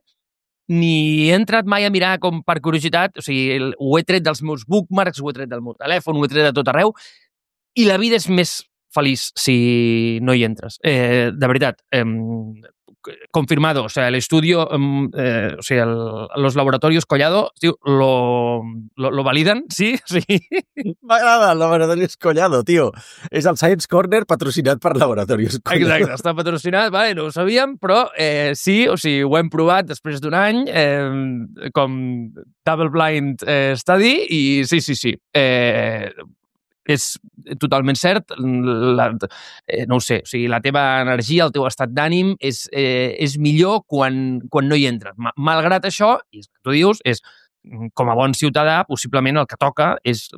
ni he entrat mai a mirar com per curiositat, o sigui, ho he tret dels meus bookmarks, ho he tret del meu telèfon, ho he tret de tot arreu, i la vida és més feliç si no hi entres. Eh, de veritat, eh, confirmado, o sea, el estudio, eh, o sea, el, los laboratorios Collado, tío, lo, lo, lo validan, sí? Sí. M'agrada el Laboratorios Collado, tio. És el Science Corner patrocinat per Laboratorios Collado. Exacte, està patrocinat, vale, no ho sabíem, però eh, sí, o sigui, ho hem provat després d'un any, eh, com Double Blind eh, Study, i sí, sí, sí. Eh, és totalment cert, la, eh, no ho sé, o sigui, la teva energia, el teu estat d'ànim és, eh, és millor quan, quan no hi entres. Malgrat això, i el que tu dius, és com a bon ciutadà, possiblement el que toca és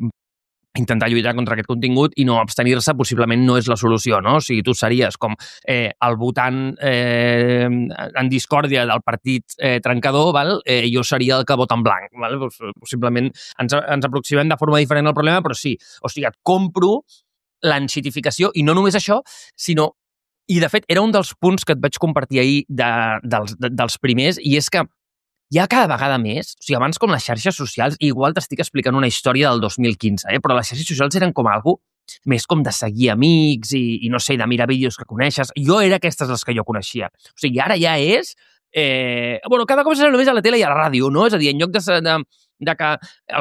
intentar lluitar contra aquest contingut i no abstenir-se possiblement no és la solució, no? O sigui, tu series com eh, el votant eh, en discòrdia del partit eh, trencador, val? Eh, jo seria el que vota en blanc, val? Possiblement ens, ens aproximem de forma diferent al problema, però sí, o sigui, et compro l'enxitificació, i no només això, sinó, i de fet era un dels punts que et vaig compartir ahir de, dels, de, dels primers, i és que hi ha cada vegada més, o sigui, abans com les xarxes socials, igual t'estic explicant una història del dos mil quinze, eh? Però les xarxes socials eren com algo més com de seguir amics i, i no sé, de mirar vídeos que coneixes. Jo era aquestes les que jo coneixia. O sigui, ara ja és... Eh, bueno, cada cop serà només a la tele i a la ràdio, no? És a dir, en lloc de, de, de que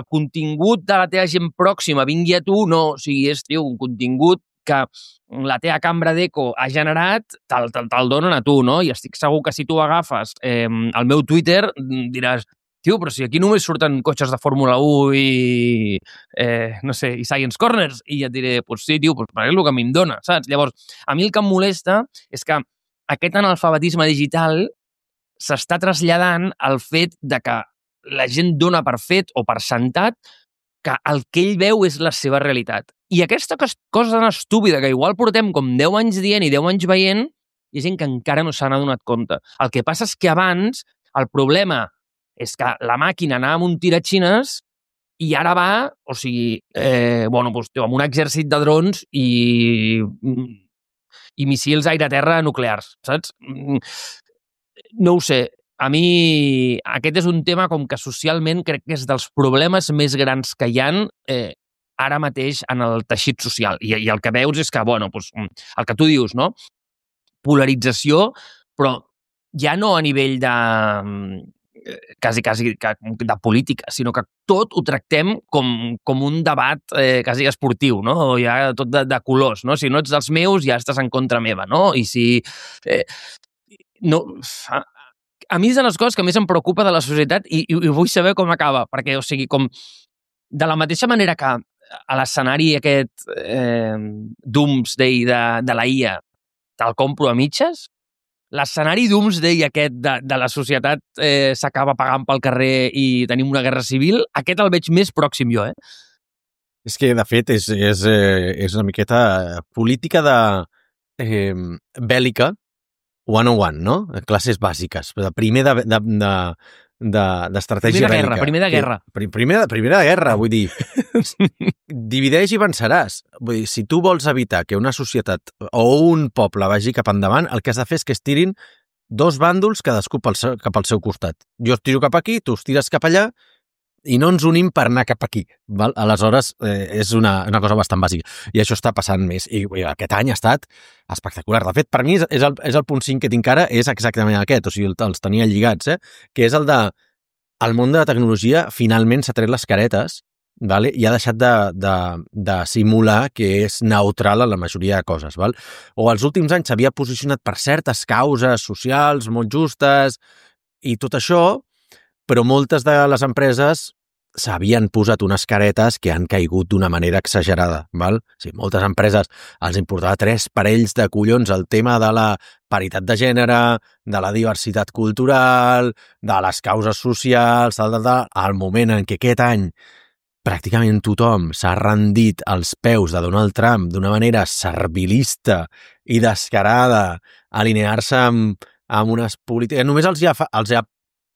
el contingut de la teva gent pròxima vingui a tu, no. O sigui, és, tio, un contingut que la teva cambra d'eco ha generat, te'l te, te donen a tu, no? I estic segur que si tu agafes eh, el meu Twitter, diràs, tio, però si aquí només surten cotxes de Fórmula u i, eh, no sé, i Science Corners, i ja et diré, pues sí, tio, pues és el que a mi em dona, saps? Llavors, a mi el que em molesta és que aquest analfabetisme digital s'està traslladant al fet de que la gent dona per fet o per sentat que el que ell veu és la seva realitat. I aquesta cosa tan estúpida que igual portem com deu anys dient i deu anys veient, hi ha gent que encara no se n'ha donat compte. El que passa és que abans el problema és que la màquina anava amb un tiratxines i ara va, o sigui, eh, bueno, doncs, tio, amb un exèrcit de drons i, i missils aire-terra nuclears, saps? No ho sé. A mi aquest és un tema com que socialment crec que és dels problemes més grans que hi ha eh, ara mateix en el teixit social. I, i el que veus és que, bueno, doncs, el que tu dius, no? Polarització, però ja no a nivell de quasi, quasi de política, sinó que tot ho tractem com, com un debat eh, quasi esportiu, no? O ja tot de, de colors, no? Si no ets dels meus, ja estàs en contra meva, no? I si... Eh, no... A, a mi és de les coses que més em preocupa de la societat i, i, i vull saber com acaba, perquè, o sigui, com de la mateixa manera que a l'escenari aquest eh, Doomsday de, de la I A te'l compro a mitges, l'escenari Doomsday aquest de, de la societat eh, s'acaba pagant pel carrer i tenim una guerra civil, aquest el veig més pròxim jo, eh? És que, de fet, és, és, és una miqueta política de eh, bèl·lica one on one, no? Classes bàsiques. Primer de, de, de, de, d'estratègia primer de guerra, bèl·lica. Primer de guerra. Que, primer, de, primer de guerra, vull dir. Divideix i venceràs. Vull dir, si tu vols evitar que una societat o un poble vagi cap endavant, el que has de fer és que es tirin dos bàndols cadascú pel seu, cap al seu costat. Jo es tiro cap aquí, tu es tires cap allà, i no ens unim per anar cap aquí. Val? Aleshores, eh, és una, una cosa bastant bàsica. I això està passant més. I, i aquest any ha estat espectacular. De fet, per mi, és el, és el punt cinc que tinc ara, és exactament aquest. O sigui, els tenia lligats, eh? Que és el de... El món de la tecnologia finalment s'ha tret les caretes, vale? I ha deixat de, de, de simular que és neutral en la majoria de coses. Val? O els últims anys s'havia posicionat per certes causes socials molt justes i tot això, però moltes de les empreses s'havien posat unes caretes que han caigut d'una manera exagerada. Val? O sigui, moltes empreses els importava tres parells de collons el tema de la paritat de gènere, de la diversitat cultural, de les causes socials, tal, tal, tal. Al moment en què aquest any pràcticament tothom s'ha rendit als peus de Donald Trump d'una manera servilista i descarada, alinear-se amb, amb unes polítiques... Només els hi ha, els hi ha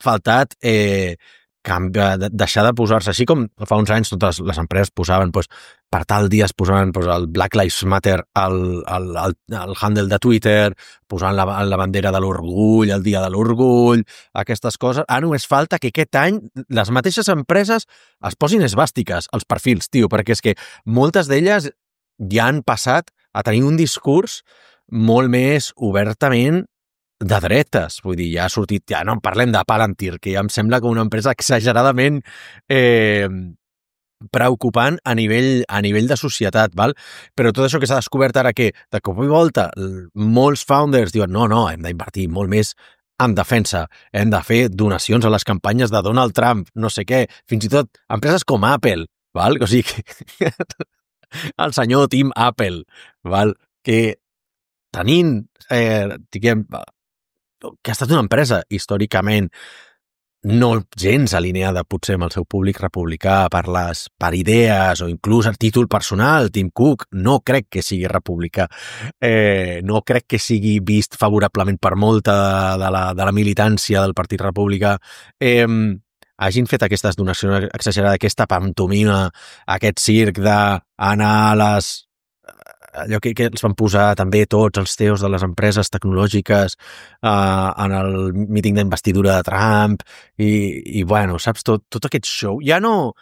faltat eh, canviar, deixar de posar-se, així com fa uns anys totes les empreses posaven, doncs, per tal dia es posaven doncs, el Black Lives Matter al, al, al, al handle de Twitter, posant la, la bandera de l'orgull, el dia de l'orgull, aquestes coses. Ara només falta que aquest any les mateixes empreses es posin esvàstiques als perfils, tio, perquè és que moltes d'elles ja han passat a tenir un discurs molt més obertament de dretes, vull dir, ja ha sortit, ja no en parlem de Palantir, que ja em sembla que una empresa exageradament eh, preocupant a nivell, a nivell de societat, val? Però tot això que s'ha descobert ara que, de cop i volta, molts founders diuen no, no, hem d'invertir molt més en defensa, hem de fer donacions a les campanyes de Donald Trump, no sé què, fins i tot empreses com Apple, val? O sigui, el senyor Tim Apple, val? Que tenint, eh, diguem, que ha estat una empresa històricament no gens alineada potser amb el seu públic republicà per les per idees o inclús a títol personal. Tim Cook no crec que sigui republicà, eh, no crec que sigui vist favorablement per molta de la, de la militància del Partit Republicà. Eh, hagin fet aquestes donacions exagerades, aquesta pantomima, aquest circ d'anar a les allò que, que els van posar també tots els C E Os de les empreses tecnològiques uh, en el míting d'investidura de Trump i, i bueno, saps, tot, tot aquest show. Ja no,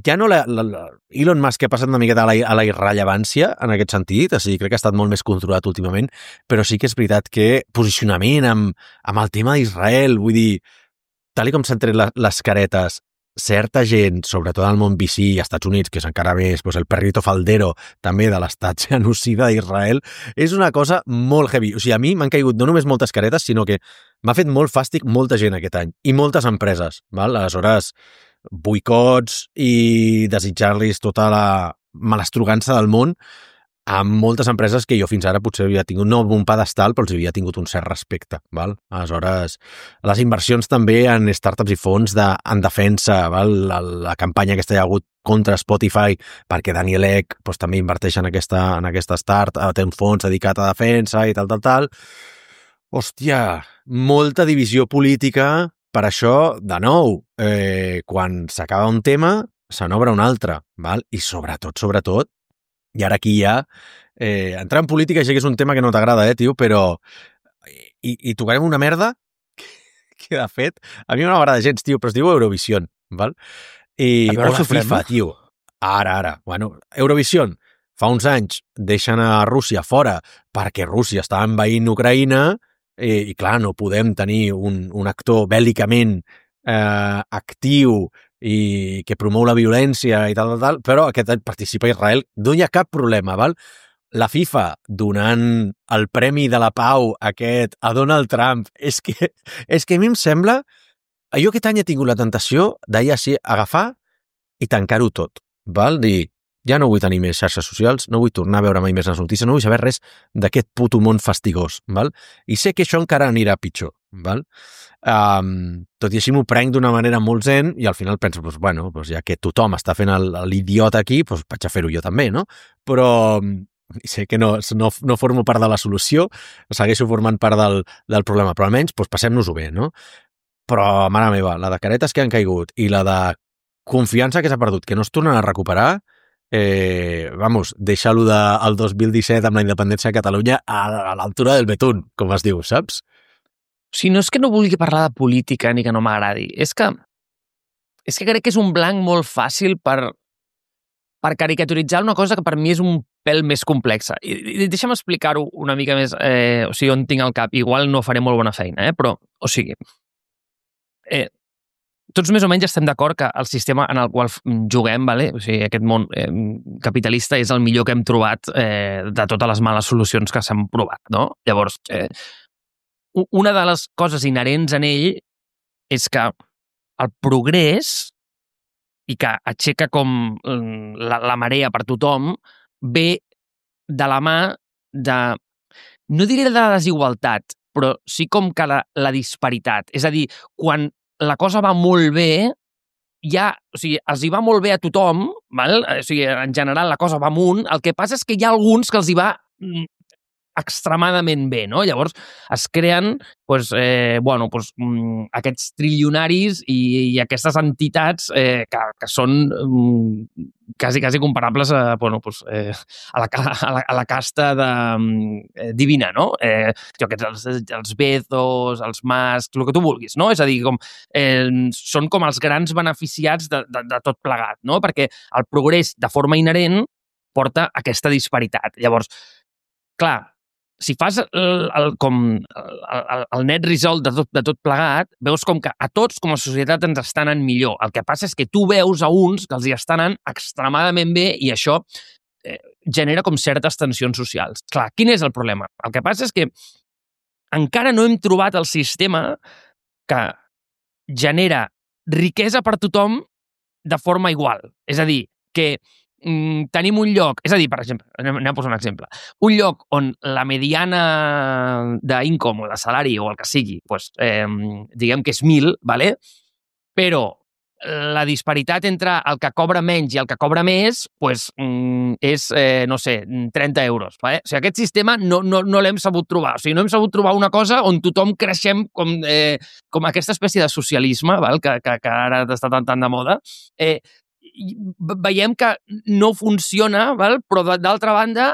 ja no la, la, la, Elon Musk ha passat una miqueta a la, a la irrellevància en aquest sentit, o sigui, crec que ha estat molt més controlat últimament, però sí que és veritat que posicionament amb, amb el tema d'Israel, vull dir, tal com s'han tret les, les caretes, certa gent, sobretot al món V C i als Estats Units, que és encara més pues, el perrito faldero també de l'estat genocida d'Israel, és una cosa molt heavy. O sigui, a mi m'han caigut no només moltes caretes, sinó que m'ha fet molt fàstic molta gent aquest any, i moltes empreses. Val? Aleshores, boicots i desitjar-los tota la malastrugança del món amb moltes empreses que jo fins ara potser havia tingut, no un pedestal, però els havia tingut un cert respecte. Val? Aleshores, les inversions també en startups i fons de, en defensa, val? La, la campanya aquesta hi ha hagut contra Spotify, perquè Daniel Ek pues, també inverteix en aquesta, en aquesta start, té un fons dedicat a defensa i tal, tal, tal. Hòstia, molta divisió política. Per això, de nou, eh, quan s'acaba un tema, se n'obre un altre. Val? I sobretot, sobretot, i ara aquí ja, eh, entrar en política ja que és un tema que no t'agrada, eh, tio, però i, i tocarem una merda que, de fet, a mi no m'agrada gens, tio, però es diu Eurovision, val? I, o la FIFA, tio. Ara, ara. Bueno, Eurovision, fa uns anys deixen a Rússia fora perquè Rússia està envaint Ucraïna i, i clar, no podem tenir un, un actor bèl·licament eh, actiu i que promou la violència i tal, tal, tal, però aquest any participa Israel, no hi ha cap problema, val? La FIFA donant el Premi de la Pau aquest a Donald Trump, és que, és que a mi em sembla, jo aquest any he tingut la tentació d'ahir així agafar i tancar-ho tot, val? Dir, ja no vull tenir més xarxes socials, no vull tornar a veure mai més les notícies, no vull saber res d'aquest puto món fastigós, val? I sé que això encara anirà pitjor, val? Um, tot i així m'ho prenc d'una manera molt zen i al final penso, pues, bueno, pues ja que tothom està fent l'idiota aquí, pues vaig a fer-ho jo també, no? Però sé que no, no, no formo part de la solució, segueixo formant part del, del problema, però almenys pues, passem-nos-ho bé, no? Però, mare meva, la de caretes que han caigut i la de confiança que s'ha perdut, que no es tornen a recuperar, eh, vamos, deixar-lo del dos mil disset amb la independència de Catalunya a, a l'altura del betún, com es diu, saps? O sigui, no és que no vulgui parlar de política ni que no m'agradi, és que és que crec que és un blanc molt fàcil per, per caricaturitzar una cosa que per mi és un pèl més complexa. I, i deixa'm explicar-ho una mica més, eh, o sigui, on tinc el cap. Igual no faré molt bona feina, eh? Però, o sigui, eh, tots més o menys estem d'acord que el sistema en el qual juguem, vale? O sigui, aquest món eh, capitalista és el millor que hem trobat eh, de totes les males solucions que s'han provat, no? Llavors, eh, una de les coses inherents en ell és que el progrés i que aixeca com la, la marea per tothom ve de la mà de, no diré de la desigualtat, però sí com que la, la disparitat. És a dir, quan la cosa va molt bé, ja, o sigui, els hi va molt bé a tothom, val? O sigui, en general la cosa va amunt, el que passa és que hi ha alguns que els hi va extremadament bé, no? Llavors es creen pues, eh, bueno, pues, mm, aquests trilionaris i, i aquestes entitats eh, que, que són mm, quasi, quasi comparables a, bueno, pues, eh, a, la, a, la, a la casta de, eh, divina, no? Eh, jo, els, els Bezos, els Musk, el que tu vulguis, no? És a dir, com, eh, són com els grans beneficiats de, de, de tot plegat, no? Perquè el progrés de forma inherent porta aquesta disparitat. Llavors, clar, si fas el, el, com el, el net result de tot, de tot plegat, veus com que a tots com a societat ens estan anant millor. El que passa és que tu veus a uns que els hi estan anant extremadament bé i això eh, genera com certes tensions socials. Clar, quin és el problema? El que passa és que encara no hem trobat el sistema que genera riquesa per tothom de forma igual. És a dir, que mm, tenim un lloc, és a dir, per exemple, anem, anem a posar un exemple, un lloc on la mediana d'income o de salari o el que sigui, pues, eh, diguem que és mil, ¿vale? Però la disparitat entre el que cobra menys i el que cobra més pues, mm, és, eh, no sé, trenta euros. Vale? O sigui, aquest sistema no, no, no l'hem sabut trobar. O sigui, no hem sabut trobar una cosa on tothom creixem com, eh, com aquesta espècie de socialisme, val? Que, que, que ara està tan, tan de moda. Eh, veiem que no funciona, val? Però d'altra banda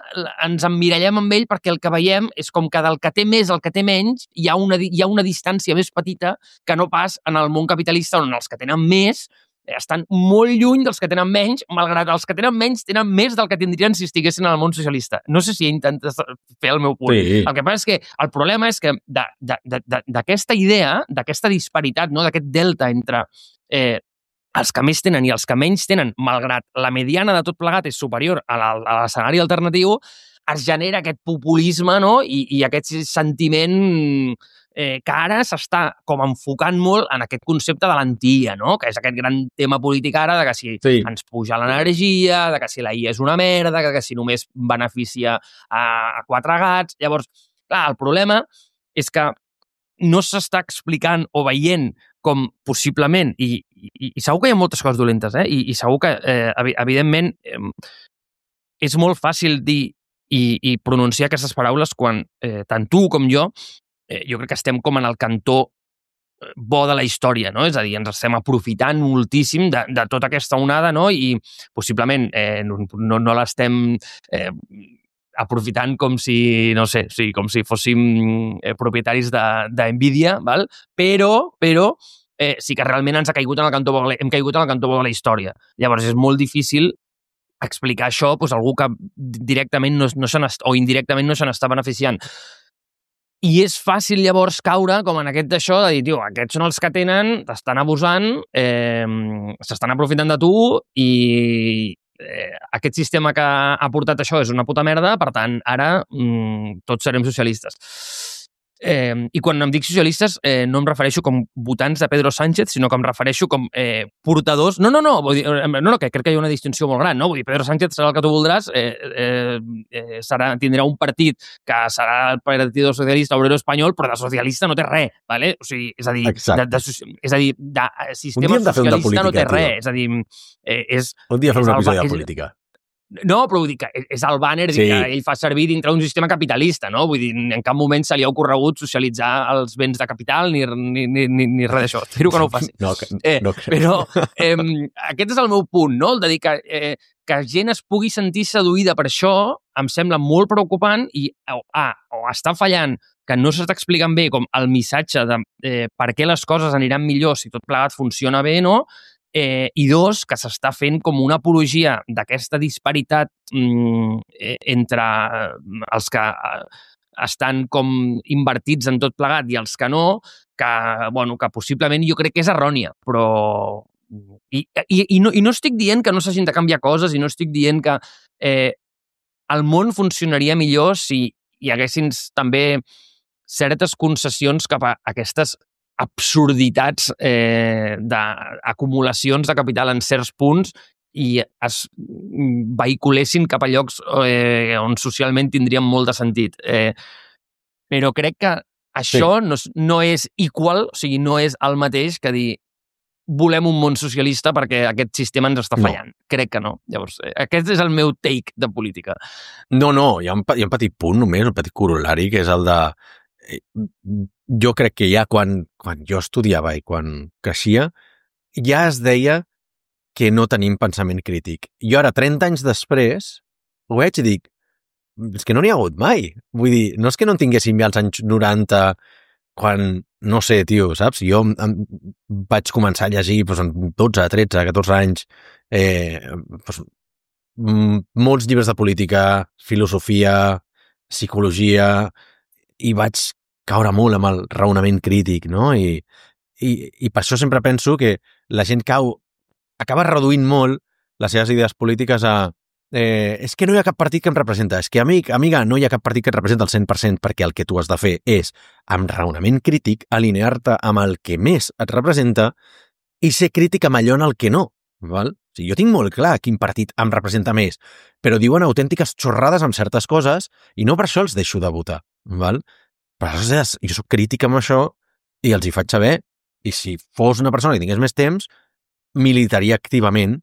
ens emmirallem amb ell perquè el que veiem és com que del que té més al que té menys hi ha una, hi ha una distància més petita que no pas en el món capitalista on els que tenen més estan molt lluny dels que tenen menys, malgrat els que tenen menys tenen més del que tindrien si estiguessin en el món socialista. No sé si he intentat fer el meu punt. Sí. El que passa és que el problema és que d'aquesta idea, d'aquesta disparitat, no? D'aquest delta entre eh, els que més tenen i els que menys tenen, malgrat la mediana de tot plegat és superior a l'escenari alternatiu, es genera aquest populisme, no? I, i aquest sentiment eh, que ara s'està com enfocant molt en aquest concepte de l'anti-I A, no? Que és aquest gran tema polític ara de que si sí. ens puja l'energia, de que si la I A és una merda, que, que si només beneficia a, a quatre gats. Llavors, clar, el problema és que no s'està explicant o veient com possiblement, i, i, i segur que hi ha moltes coses dolentes, eh? I, i segur que, eh, evidentment, eh, és molt fàcil dir i, i pronunciar aquestes paraules quan eh, tant tu com jo, eh, jo crec que estem com en el cantó bo de la història, no? És a dir, ens estem aprofitant moltíssim de, de tota aquesta onada, no? I possiblement eh, no, no, no l'estem eh, aprofitant com si, no sé, sí, com si fóssim eh, propietaris de, de Nvidia, val? Però, però eh, sí que realment ens ha caigut en el cantó bo, hem caigut en el cantó bo de la història. Llavors és molt difícil explicar això doncs, a algú que directament no, no se o indirectament no se n'està beneficiant. I és fàcil llavors caure com en aquest d'això de dir, tio, aquests són els que tenen, t'estan abusant, eh, s'estan aprofitant de tu i eh, aquest sistema que ha portat això és una puta merda, per tant, ara mm, tots serem socialistes. Eh, I quan em dic socialistes eh, no em refereixo com votants de Pedro Sánchez, sinó que em refereixo com eh, portadors... No, no, no, vull dir, no, no, que crec que hi ha una distinció molt gran, no? Vull dir, Pedro Sánchez serà el que tu voldràs, eh, eh, eh, serà, tindrà un partit que serà el Partido Socialista Obrero Espanyol, però de socialista no té res, ¿vale? O sigui, és a dir, de, de, és a dir, de sistema socialista política, no té res, tio. És a dir, eh, és... Un dia fem un episodi de política. No, però vull dir que és el banner sí. que ell fa servir dintre d'un sistema capitalista, no? Vull dir, en cap moment se li ha ocorregut socialitzar els béns de capital ni, ni, ni, ni, ni res d'això. Espero que no ho faci. No, eh, no crec. Però eh, aquest és el meu punt, no? El de dir que, eh, que gent es pugui sentir seduïda per això em sembla molt preocupant i o, ah, o està fallant que no s'està explicant bé com el missatge de eh, per què les coses aniran millor si tot plegat funciona bé, no? Eh, I dos, que s'està fent com una apologia d'aquesta disparitat mm, entre els que estan com invertits en tot plegat i els que no, que, bueno, que possiblement jo crec que és errònia, però... I, i, i, no, i no estic dient que no s'hagin de canviar coses i no estic dient que eh, el món funcionaria millor si hi haguessin també certes concessions cap a aquestes absurditats eh, d'acumulacions de capital en certs punts i es vehiculessin cap a llocs eh, on socialment tindrien molt de sentit. Eh, però crec que això sí. no, no és igual, o sigui, no és el mateix que dir volem un món socialista perquè aquest sistema ens està fallant. No. Crec que no. Llavors, eh, aquest és el meu take de política. No, no, hi ha un, hi ha un petit punt només, un petit corollari, que és el de jo crec que ja quan, quan jo estudiava i quan creixia, ja es deia que no tenim pensament crític. Jo ara, trenta anys després, ho veig i dic, és que no n'hi ha hagut mai. Vull dir, no és que no en tinguéssim ja als anys noranta, quan, no sé, tio, saps? Jo em, em, vaig començar a llegir doncs, amb dotze, tretze, catorze anys, eh, doncs, molts llibres de política, filosofia, psicologia... i vaig caure molt amb el raonament crític, no? I, i, i per això sempre penso que la gent cau, acaba reduint molt les seves idees polítiques a eh, és que no hi ha cap partit que em representa, és que, amic, amiga, no hi ha cap partit que et representa al cent per cent perquè el que tu has de fer és, amb raonament crític, alinear-te amb el que més et representa i ser crític amb allò en el que no, val? O sigui, jo tinc molt clar quin partit em representa més, però diuen autèntiques xorrades amb certes coses i no per això els deixo de votar, val? Per aleshores, jo soc crític amb això i els hi faig saber, i si fos una persona que tingués més temps, militaria activament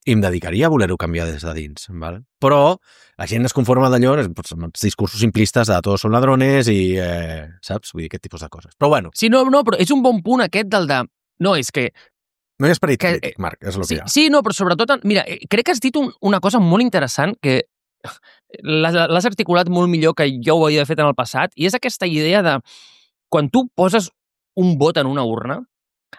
i em dedicaria a voler-ho canviar des de dins, val? Però la gent es conforma d'allò amb els discursos simplistes de tots són ladrones i, eh, saps? Vull dir, aquest tipus de coses. Però bueno. Sí, no, no, però és un bon punt aquest del de... No, és que... No hi ha esperit que, crític, Marc, és el sí, que hi ha. Sí, no, però sobretot... Mira, crec que has dit un, una cosa molt interessant que l'has articulat molt millor que jo ho havia fet en el passat, i és aquesta idea de quan tu poses un vot en una urna,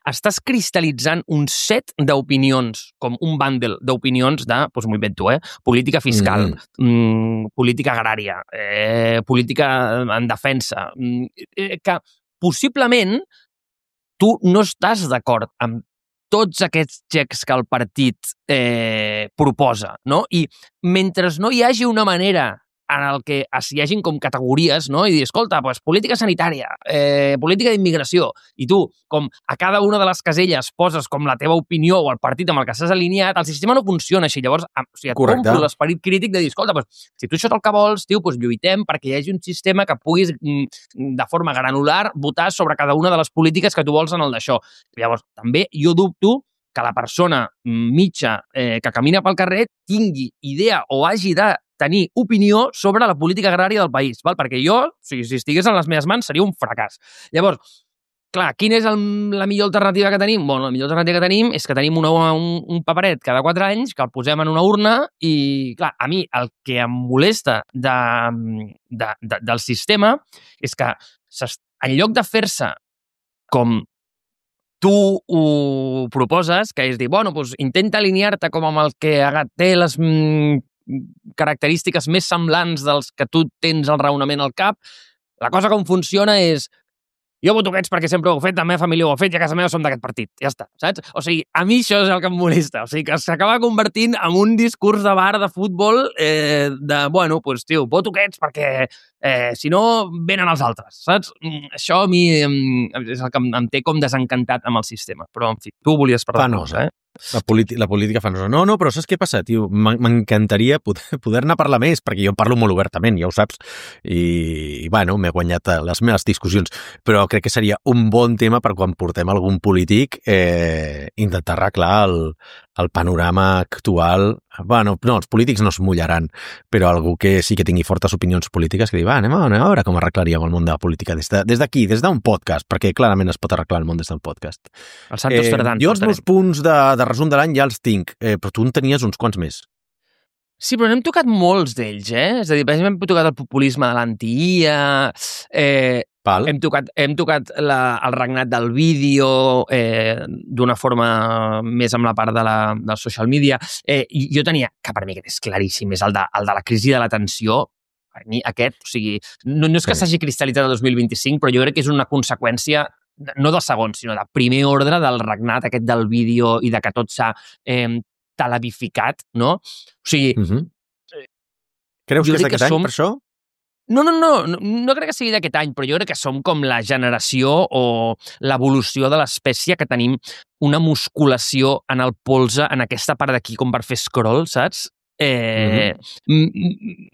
estàs cristal·litzant un set d'opinions, com un bundle d'opinions de, doncs m'ho invento, eh? Política fiscal, mm. Mm, política agrària, eh, política en defensa, mm, que possiblement tu no estàs d'acord amb tots aquests xecs que el partit eh, proposa, no? I mentre no hi hagi una manera en el que hi hagin com categories, no? I dir, escolta, doncs, política sanitària, eh, política d'immigració, i tu, com a cada una de les caselles poses com la teva opinió o el partit amb el que s'has alineat, el sistema no funciona així. Llavors, o sigui, et compro l'esperit crític de dir, escolta, doncs, si tu això és el que vols, tio, doncs lluitem perquè hi hagi un sistema que puguis, de forma granular, votar sobre cada una de les polítiques que tu vols en el d'això. Llavors, també jo dubto que la persona mitja eh, que camina pel carrer tingui idea o hagi de tenir opinió sobre la política agrària del país, val? Perquè jo, o sigui, si estigués en les meves mans, seria un fracàs. Llavors, clar, quina és el, la millor alternativa que tenim? Bueno, la millor alternativa que tenim és que tenim una, un, un paperet cada quatre anys, que el posem en una urna i, clar, a mi el que em molesta de, de, de, del sistema és que en lloc de fer-se com tu ho proposes, que és dir, bueno, doncs intenta alinear-te com amb el que té les mm, característiques més semblants dels que tu tens el raonament al cap, la cosa com funciona és jo voto aquests perquè sempre ho he fet, la meva família ho ha fet i a casa meva som d'aquest partit. Ja està, saps? O sigui, a mi això és el que em molesta. O sigui, que s'acaba convertint en un discurs de bar de futbol eh, de, bueno, doncs, tio, voto aquests perquè eh, si no, venen els altres, saps? Això a mi és el que em, em té com desencantat amb el sistema. Però, en fi, tu volies parlar de cosa, eh? La, la política fa nosa. No, no, però saps què passa, tio? M'encantaria poder, poder-ne parlar més, perquè jo parlo molt obertament, ja ho saps, i, i bueno, m'he guanyat les meves discussions, però crec que seria un bon tema per quan portem algun polític eh, intentar arreglar el, el panorama actual. Bueno, no, els polítics no es mullaran, però algú que sí que tingui fortes opinions polítiques que digui, va, anem a, anem a veure com arreglaríem el món de la política des d'aquí, de, des d'un podcast, perquè clarament es pot arreglar el món des d'un podcast. El Santos eh, Ferdán. Jo els meus punts de, de resum de l'any ja els tinc, eh, però tu en tenies uns quants més. Sí, però n'hem tocat molts d'ells, eh? És a dir, per exemple, hem tocat el populisme de l'anti-I A, eh, Val. hem tocat, hem tocat la, el regnat del vídeo eh, d'una forma més amb la part de la, del social media. Eh, jo tenia, que per mi aquest és claríssim, és el de, el de la crisi de l'atenció. Per mi aquest, o sigui, no, no és que sí. s'hagi cristal·litzat el dos mil vint-i-cinc, però jo crec que és una conseqüència no del segon, sinó de primer ordre del regnat aquest del vídeo i de que tot s'ha eh, televificat, no? O sigui... Uh-huh. Creus que és d'aquest any, som... per això? No, no, no, no, no crec que sigui d'aquest any, però jo crec que som com la generació o l'evolució de l'espècie que tenim una musculació en el polze, en aquesta part d'aquí, com per fer scroll, saps? Eh, mm-hmm.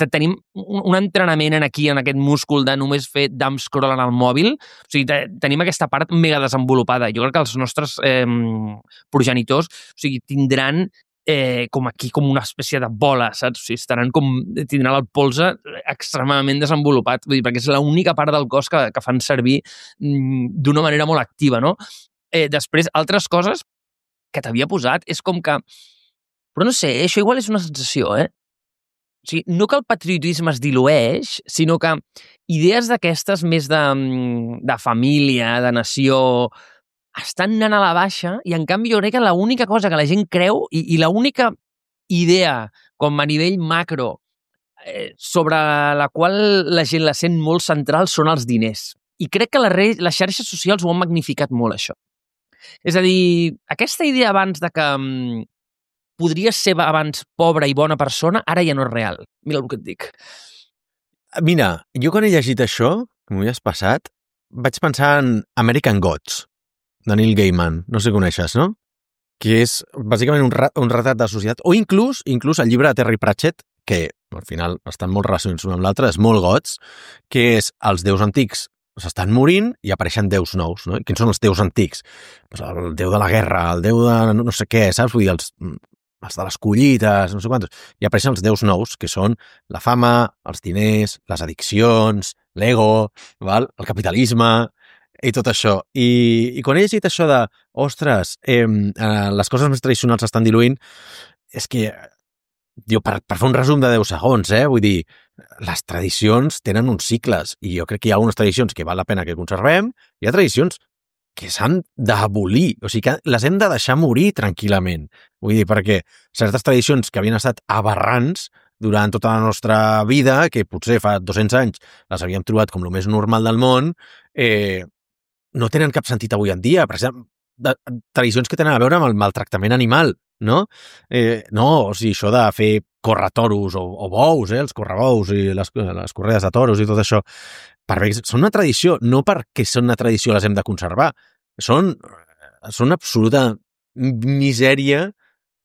Tenim un entrenament en aquí, en aquest múscul de només fer dumb scroll en el mòbil. O sigui, te, tenim aquesta part mega desenvolupada. Jo crec que els nostres eh, progenitors, o sigui, tindran eh, com aquí, com una espècie de bola, saps? O sigui, estaran com, tindran el polze extremadament desenvolupat, vull dir, perquè és l'única part del cos que, que fan servir mm, d'una manera molt activa, no? Eh, després, altres coses que t'havia posat és com que... Però no sé, això igual és una sensació, eh? O sigui, no que el patriotisme es dilueix, sinó que idees d'aquestes més de, de família, de nació, estan anant a la baixa i, en canvi, jo crec que l'única cosa que la gent creu i, i l'única idea, com a nivell macro, eh, sobre la qual la gent la sent molt central són els diners. I crec que les, les xarxes socials ho han magnificat molt, això. És a dir, aquesta idea abans de que... podries ser abans pobra i bona persona, ara ja no és real. Mira el que et dic. Mira, jo quan he llegit això, que m'ho havies passat, vaig pensar en American Gods, de Neil Gaiman. No sé si coneixes, no? que és bàsicament un, ra un retrat de societat, o inclús inclús el llibre de Terry Pratchett, que al final estan molt relacionats un amb l'altre, és molt gots, que és els déus antics s'estan morint i apareixen déus nous, no? I quins són els déus antics? Pues el déu de la guerra, el déu de no sé què, saps? Vull dir, els, els de les collites, no sé quantos. I apareixen els déus nous, que són la fama, els diners, les addiccions, l'ego, val? El capitalisme i tot això. I, i quan he llegit això de, ostres, eh, eh, les coses més tradicionals s'estan diluint, és que, diu, per, per fer un resum de deu segons, eh? Vull dir, les tradicions tenen uns cicles i jo crec que hi ha unes tradicions que val la pena que conservem i hi ha tradicions que s'han d'abolir, o sigui que les hem de deixar morir tranquil·lament. Vull dir, perquè certes tradicions que havien estat aberrants durant tota la nostra vida, que potser fa dos-cents anys les havíem trobat com el més normal del món, eh, no tenen cap sentit avui en dia. Per exemple, de, tradicions que tenen a veure amb el maltractament animal, no? Eh, no, o sigui, això de fer córrer toros o, o bous, eh, els correbous i les, les corredes de toros i tot això, per bé, són una tradició, no perquè són una tradició les hem de conservar, són, són absoluta misèria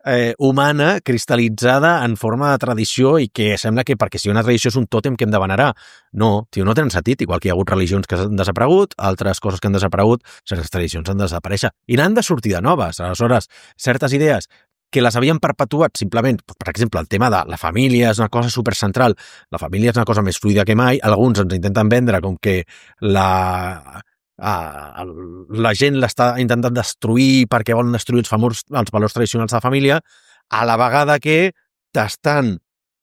eh, humana cristal·litzada en forma de tradició i que sembla que perquè si una tradició és un tòtem que hem de venerar. No, tio, no tenen sentit, igual que hi ha hagut religions que han desaparegut, altres coses que han desaparegut, certes tradicions han de desaparèixer i n'han de sortir de noves. Aleshores, certes idees que les havien perpetuat simplement, per exemple, el tema de la família és una cosa supercentral, la família és una cosa més fluida que mai, alguns ens intenten vendre com que la, a, la gent l'està intentant destruir perquè volen destruir els, famós, els valors tradicionals de la família, a la vegada que t'estan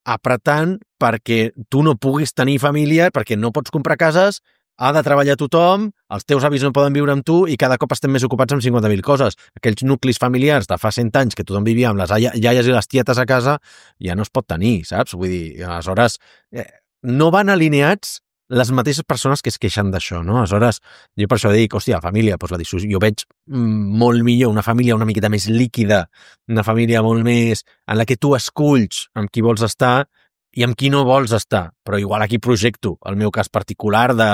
apretant perquè tu no puguis tenir família, perquè no pots comprar cases, ha de treballar tothom, els teus avis no poden viure amb tu i cada cop estem més ocupats amb cinquanta mil coses. Aquells nuclis familiars de fa cent anys que tothom vivia amb les iaies i les tietes a casa ja no es pot tenir, saps? Vull dir, aleshores, eh, no van alineats les mateixes persones que es queixen d'això, no? Aleshores, jo per això dic, hòstia, família, doncs la dissolució, jo veig molt millor una família una miqueta més líquida, una família molt més en la que tu esculls amb qui vols estar i amb qui no vols estar, però igual aquí projecto el meu cas particular de,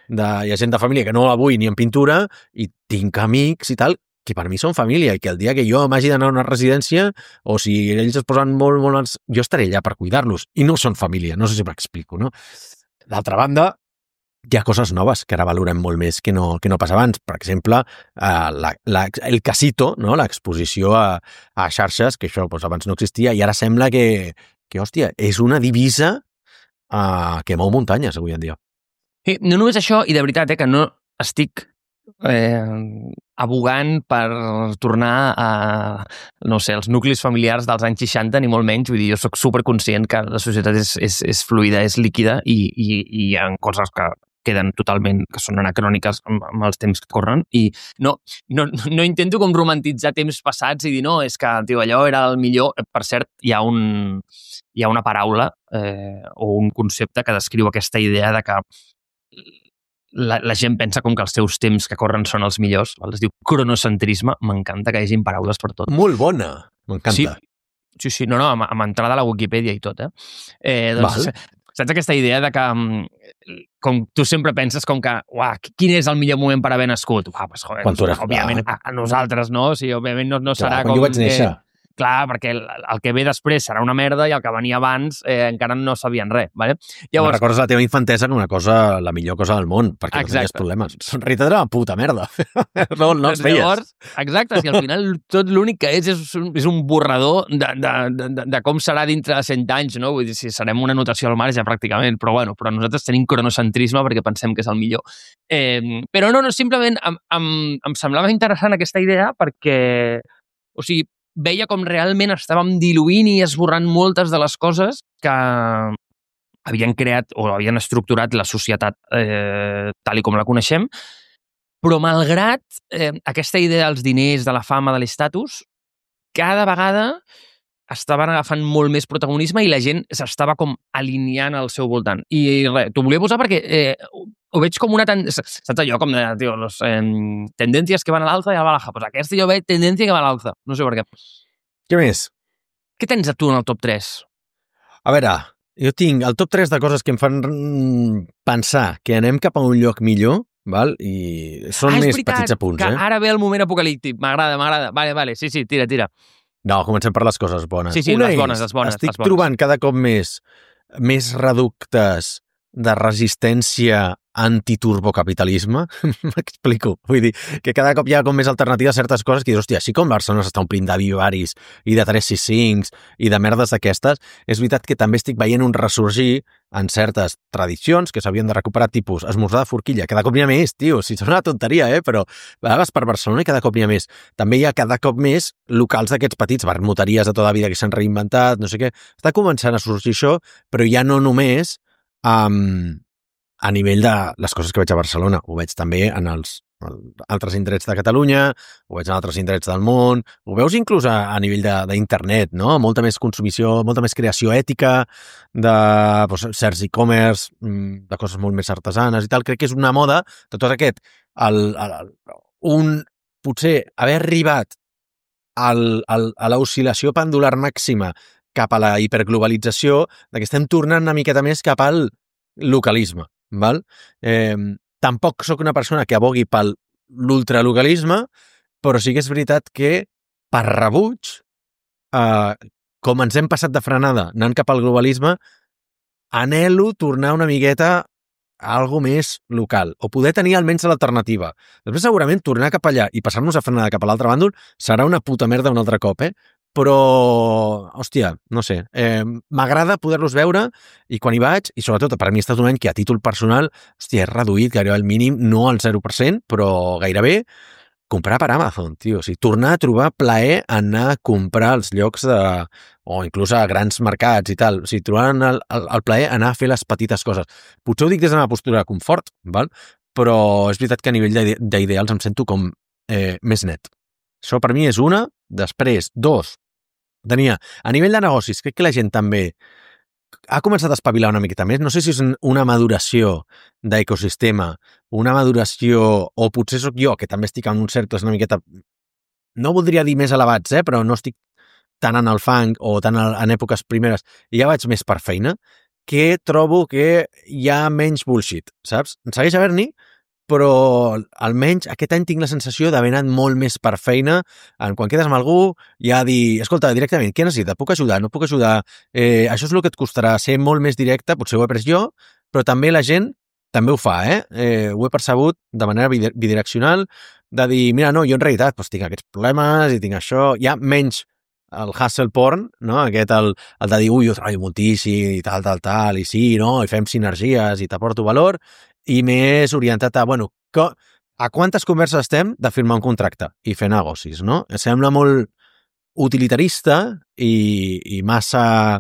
de hi ha gent de família que no la vull ni en pintura i tinc amics i tal, que per mi són família i que el dia que jo m'hagi d'anar a una residència o si ells es posen molt, molt... jo estaré allà per cuidar-los i no són família, no sé si m'explico, no? D'altra banda, hi ha coses noves que ara valorem molt més que no, que no pas abans. Per exemple, eh, la, la, el casito, no? L'exposició a, a xarxes, que això doncs, abans no existia i ara sembla que que, hòstia, és una divisa uh, que mou muntanyes avui en dia. Sí, no només això, i de veritat, eh, que no estic eh, abogant per tornar a, no sé, els nuclis familiars dels anys seixanta, ni molt menys, vull dir, jo soc superconscient que la societat és, és, és fluida, és líquida, i, i, i hi ha coses que queden totalment, que són anacròniques amb, amb els temps que corren, i no, no, no intento com romantitzar temps passats i dir, no, és que tio, allò era el millor. Per cert, hi ha, un, hi ha una paraula eh, o un concepte que descriu aquesta idea de que la, la gent pensa com que els seus temps que corren són els millors, val? Es diu cronocentrisme. M'encanta que hi hagin paraules per tot. Molt bona, m'encanta. Sí, sí, sí, no, no, amb, amb entrada a la Wikipedia i tot, eh? eh doncs, Val. Saps aquesta idea de que com tu sempre penses com que, uah, quin és el millor moment per haver nascut? Uah, pues, joder, doncs, òbviament a, a nosaltres, no? O sigui, òbviament no, no serà clar, com... Quan jo vaig néixer. Que, clar, perquè el, el que ve després serà una merda i el que venia abans eh, encara no sabien res, ¿vale? Llavors, recordes la teva infantesa com una cosa, la millor cosa del món, perquè exacte. No tenies problemes. En realitat era una puta merda. No, no els feies. Llavors, exacte, si al final tot l'únic que és és un, és un borrador de, de, de, de com serà dintre de cent anys, no? Vull dir, si serem una notació al marge, pràcticament, però bueno, però nosaltres tenim cronocentrisme perquè pensem que és el millor. Eh, però no, no, simplement em, em, em semblava interessant aquesta idea perquè, o sigui, veia com realment estàvem diluint i esborrant moltes de les coses que havien creat o havien estructurat la societat eh, tal i com la coneixem, però malgrat eh, aquesta idea dels diners, de la fama, de l'estatus, cada vegada estaven agafant molt més protagonisme i la gent s'estava com alineant al seu voltant. I res, t'ho volia posar perquè eh, ho veig com una... Ten... Saps allò com de, tio, los, eh, tendències que van a l'alza i a la baja? Pues aquesta jo veig tendència que va a l'alza. No sé per què. Què més? Què tens a tu en el top tres? A veure, jo tinc el top tres de coses que em fan pensar que anem cap a un lloc millor, val? I són ah, més veritat, petits apunts, que eh? ara ve el moment apocalíptic. M'agrada, m'agrada. Vale, vale, sí, sí, tira, tira. No, comencem per les coses bones. Sí, sí, Una les bones, és, les bones, estic les bones. trobant cada cop més més reductes de resistència antiturbocapitalisme. M'explico. Vull dir, que cada cop hi ha com més alternatives a certes coses que dius, hòstia, així com Barcelona s'està omplint de vivaris i de tres sis cinc i de merdes d'aquestes, és veritat que també estic veient un ressorgir en certes tradicions que s'havien de recuperar, tipus esmorzar de forquilla. Cada cop n'hi ha més, tio. Si sona una tonteria, eh? Però a vegades per Barcelona i cada cop n'hi ha més. També hi ha cada cop més locals d'aquests petits, vermuteries de tota la vida que s'han reinventat, no sé què. Està començant a sorgir això, però ja no només um, a nivell de les coses que veig a Barcelona. Ho veig també en els altres indrets de Catalunya, ho veig en altres indrets del món, ho veus inclús a, a nivell d'internet, no? Molta més consumició, molta més creació ètica de doncs, certs e-commerce, de coses molt més artesanes i tal. Crec que és una moda de tot aquest. El, el, un, potser haver arribat al, al, a l'oscil·lació pendular màxima cap a la hiperglobalització, de que estem tornant una miqueta més cap al localisme, val? Eh, tampoc sóc una persona que abogui pel l'ultralocalisme, però sí que és veritat que per rebuig, eh, com ens hem passat de frenada anant cap al globalisme, anhelo tornar una miqueta a algo més local, o poder tenir almenys l'alternativa. Després segurament tornar cap allà i passar-nos a frenada cap a l'altre bàndol serà una puta merda un altre cop, eh? Però, hòstia, no sé, eh, m'agrada poder-los veure i quan hi vaig, i sobretot per mi ha estat un any que a títol personal, hòstia, he reduït gairebé al mínim, no al zero per cent, però gairebé, comprar per Amazon, tio. O sigui, tornar a trobar plaer en anar a comprar als llocs de... o inclús a grans mercats i tal. O sigui, trobant el, el, el plaer anar a fer les petites coses. Potser ho dic des de la postura de confort, val? Però és veritat que a nivell d'ideals em sento com eh, més net. Això per mi és una. Després, dos, tenia, a nivell de negocis, crec que la gent també ha començat a espavilar una miqueta més. No sé si és una maduració d'ecosistema, una maduració, o potser sóc jo, que també estic en uns cercles una miqueta, no voldria dir més elevats, eh, però no estic tant en el fang o tant en èpoques primeres, i ja vaig més per feina, que trobo que hi ha menys bullshit, saps? En segueix haver-n'hi, però almenys aquest any tinc la sensació d'haver anat molt més per feina, en quan quedes amb algú ja dir, escolta, directament, què necessita? Puc ajudar? No puc ajudar? Eh, això és el que et costarà, ser molt més directe, potser ho he pres jo, però també la gent també ho fa, eh? eh ho he percebut de manera bidireccional, de dir, mira, no, jo en realitat doncs, tinc aquests problemes i tinc això, hi ha menys el hustle porn, no? Aquest, el, el de dir, ui, jo treballo moltíssim i tal, tal, tal, i sí, no? I fem sinergies i t'aporto valor, i més orientat a, bueno, a quantes converses estem de firmar un contracte i fer negocis, no? Sembla molt utilitarista i, i massa,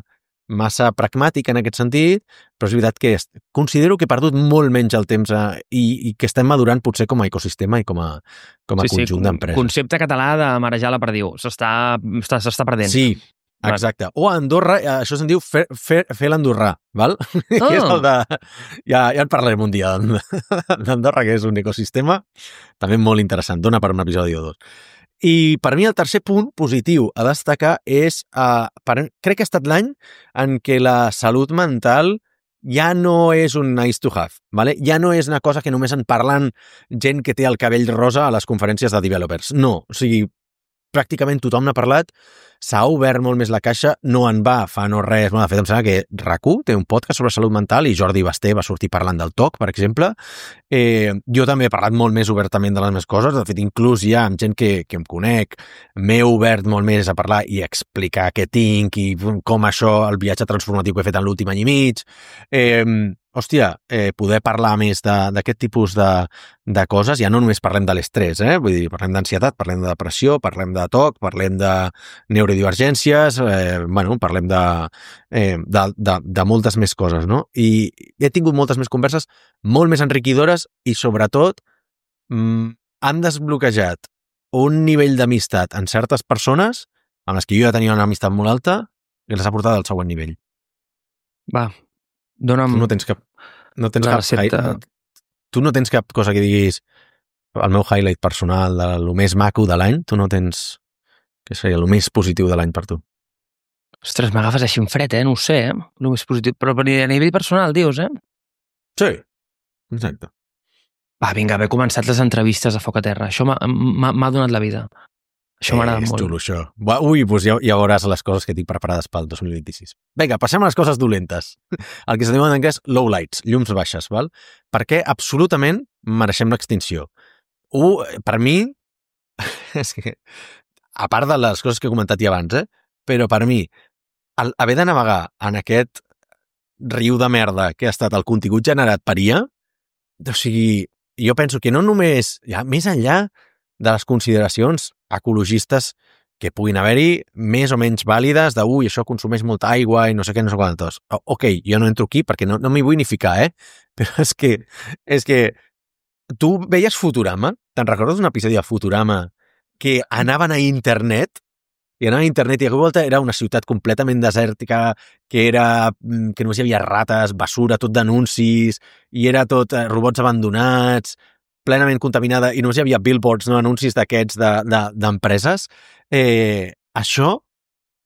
massa pragmàtic en aquest sentit, però és veritat que considero que he perdut molt menys el temps a, i, i que estem madurant potser com a ecosistema i com a, com a sí, conjunt sí, d'empreses. Concepte català de marejar la perdiu. S'està perdent. Sí, exacte. O a Andorra, això se'n diu fer, fer, fer l'andorrà, val? Oh. Que és el de... Ja, ja en parlarem un dia d'Andorra, que és un ecosistema també molt interessant. Dona per un episodi o dos. I per mi el tercer punt positiu a destacar és... Uh, per, crec que ha estat l'any en què la salut mental ja no és un nice to have, ¿vale? Ja no és una cosa que només en parlen gent que té el cabell rosa a les conferències de developers. No, o sigui, pràcticament tothom n'ha parlat, s'ha obert molt més la caixa, no en va fa no res, bueno, de fet em sembla que RAC1 té un podcast sobre salut mental i Jordi Basté va sortir parlant del T O C, per exemple. Eh, jo també he parlat molt més obertament de les meves coses, de fet inclús ja amb gent que, que em conec, m'he obert molt més a parlar i a explicar què tinc i com això, el viatge transformatiu que he fet en l'últim any i mig. Eh, hòstia, eh, poder parlar més d'aquest tipus de, de coses, ja no només parlem de l'estrès, eh? Vull dir, parlem d'ansietat, parlem de depressió, parlem de T O C, parlem de neurodivergències, eh, bueno, parlem de, eh, de, de, de moltes més coses, no? I he tingut moltes més converses molt més enriquidores i, sobretot, mm, han desbloquejat un nivell d'amistat en certes persones amb les que jo ja tenia una amistat molt alta i les ha portat al següent nivell. Va, dona'm... Tu no tens cap... No tens cap hi... Tu no tens cap cosa que diguis el meu highlight personal, de lo més maco de l'any, tu no tens... Què seria el més positiu de l'any per tu? Ostres, m'agafes així en fred, eh? No ho sé, eh? El més positiu. Però a nivell personal, dius, eh? Sí, exacte. Va, vinga, haver començat les entrevistes a Foc a Terra. Això m'ha donat la vida. Això m'ha agradat molt. És molt. xulo, això. Ui, doncs ja, ja veuràs les coses que tinc preparades pel dos mil vint-i-sis. Vinga, passem a les coses dolentes. El que se diu en anglès lowlights, llums baixes, val? Perquè absolutament mereixem l'extinció. U, per mi, és que, a part de les coses que he comentat ja abans, eh? Però per mi, el, haver de navegar en aquest riu de merda que ha estat el contingut generat per I A, o sigui, jo penso que no només, ja, més enllà de les consideracions ecologistes que puguin haver-hi, més o menys vàlides, de, ui, això consumeix molta aigua i no sé què, no sé quantos. Ok, jo no entro aquí perquè no, no m'hi vull ni ficar, eh? Però és que, és que tu veies Futurama? Te'n recordes un episodi de Futurama que anaven a internet i anava a internet i a volta era una ciutat completament desèrtica, que era que només hi havia rates, basura, tot d'anuncis, i era tot eh, robots abandonats, plenament contaminada, i només hi havia billboards, no anuncis d'aquests d'empreses. De, de, eh, això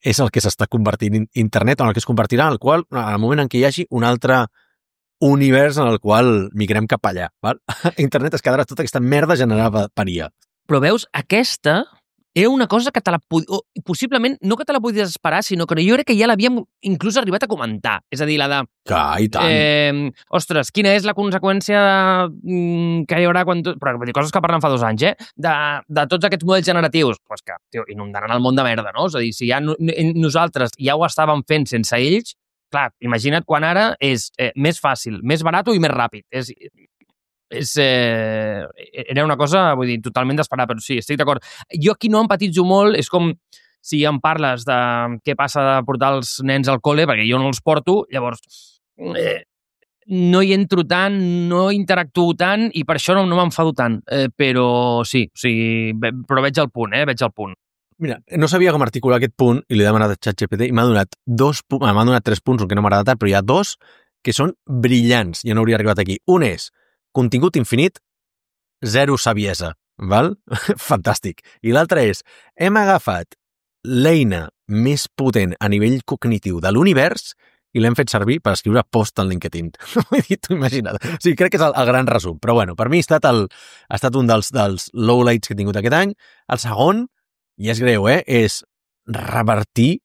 és el que s'està convertint in internet, en el que es convertirà, en el qual, al moment en què hi hagi un altre univers en el qual migrem cap allà. Val? Internet es quedarà tota aquesta merda generada per I A. Però veus, aquesta era una cosa que te la pod... o, possiblement, no que te la podies esperar, sinó que jo crec que ja l'havíem inclús arribat a comentar. És a dir, la de... Que, i tant. Eh, ostres, quina és la conseqüència de, que hi haurà quan... Tu, però vull dir, coses que parlen fa dos anys, eh? De, de tots aquests models generatius. Doncs pues que, tio, inundaran el món de merda, no? És a dir, si ja no, nosaltres ja ho estàvem fent sense ells, clar, imagina't quan ara és eh, més fàcil, més barat i més ràpid. És... És, eh, era una cosa, vull dir, totalment d'esperar, però sí, estic d'acord. Jo aquí no empatitzo molt, és com si em parles de què passa de portar els nens al col·le, perquè jo no els porto, llavors eh, no hi entro tant, no interactuo tant i per això no, no m'enfado tant, eh, però sí, o sigui, però veig el punt, eh, veig el punt. Mira, no sabia com articular aquest punt i li he demanat a ChatGPT i m'ha donat dos punts, m'ha donat tres punts, que no m'agrada tant, però hi ha dos que són brillants, jo no hauria arribat aquí. Un és contingut infinit, zero saviesa, val? Fantàstic. I l'altre és, hem agafat l'eina més potent a nivell cognitiu de l'univers i l'hem fet servir per escriure post en LinkedIn. Vull dir, t'ho imagina't. O sigui, crec que és el, el gran resum. Però bueno, per mi ha estat, el, ha estat un dels, dels lowlights que he tingut aquest any. El segon, i és greu, eh, és revertir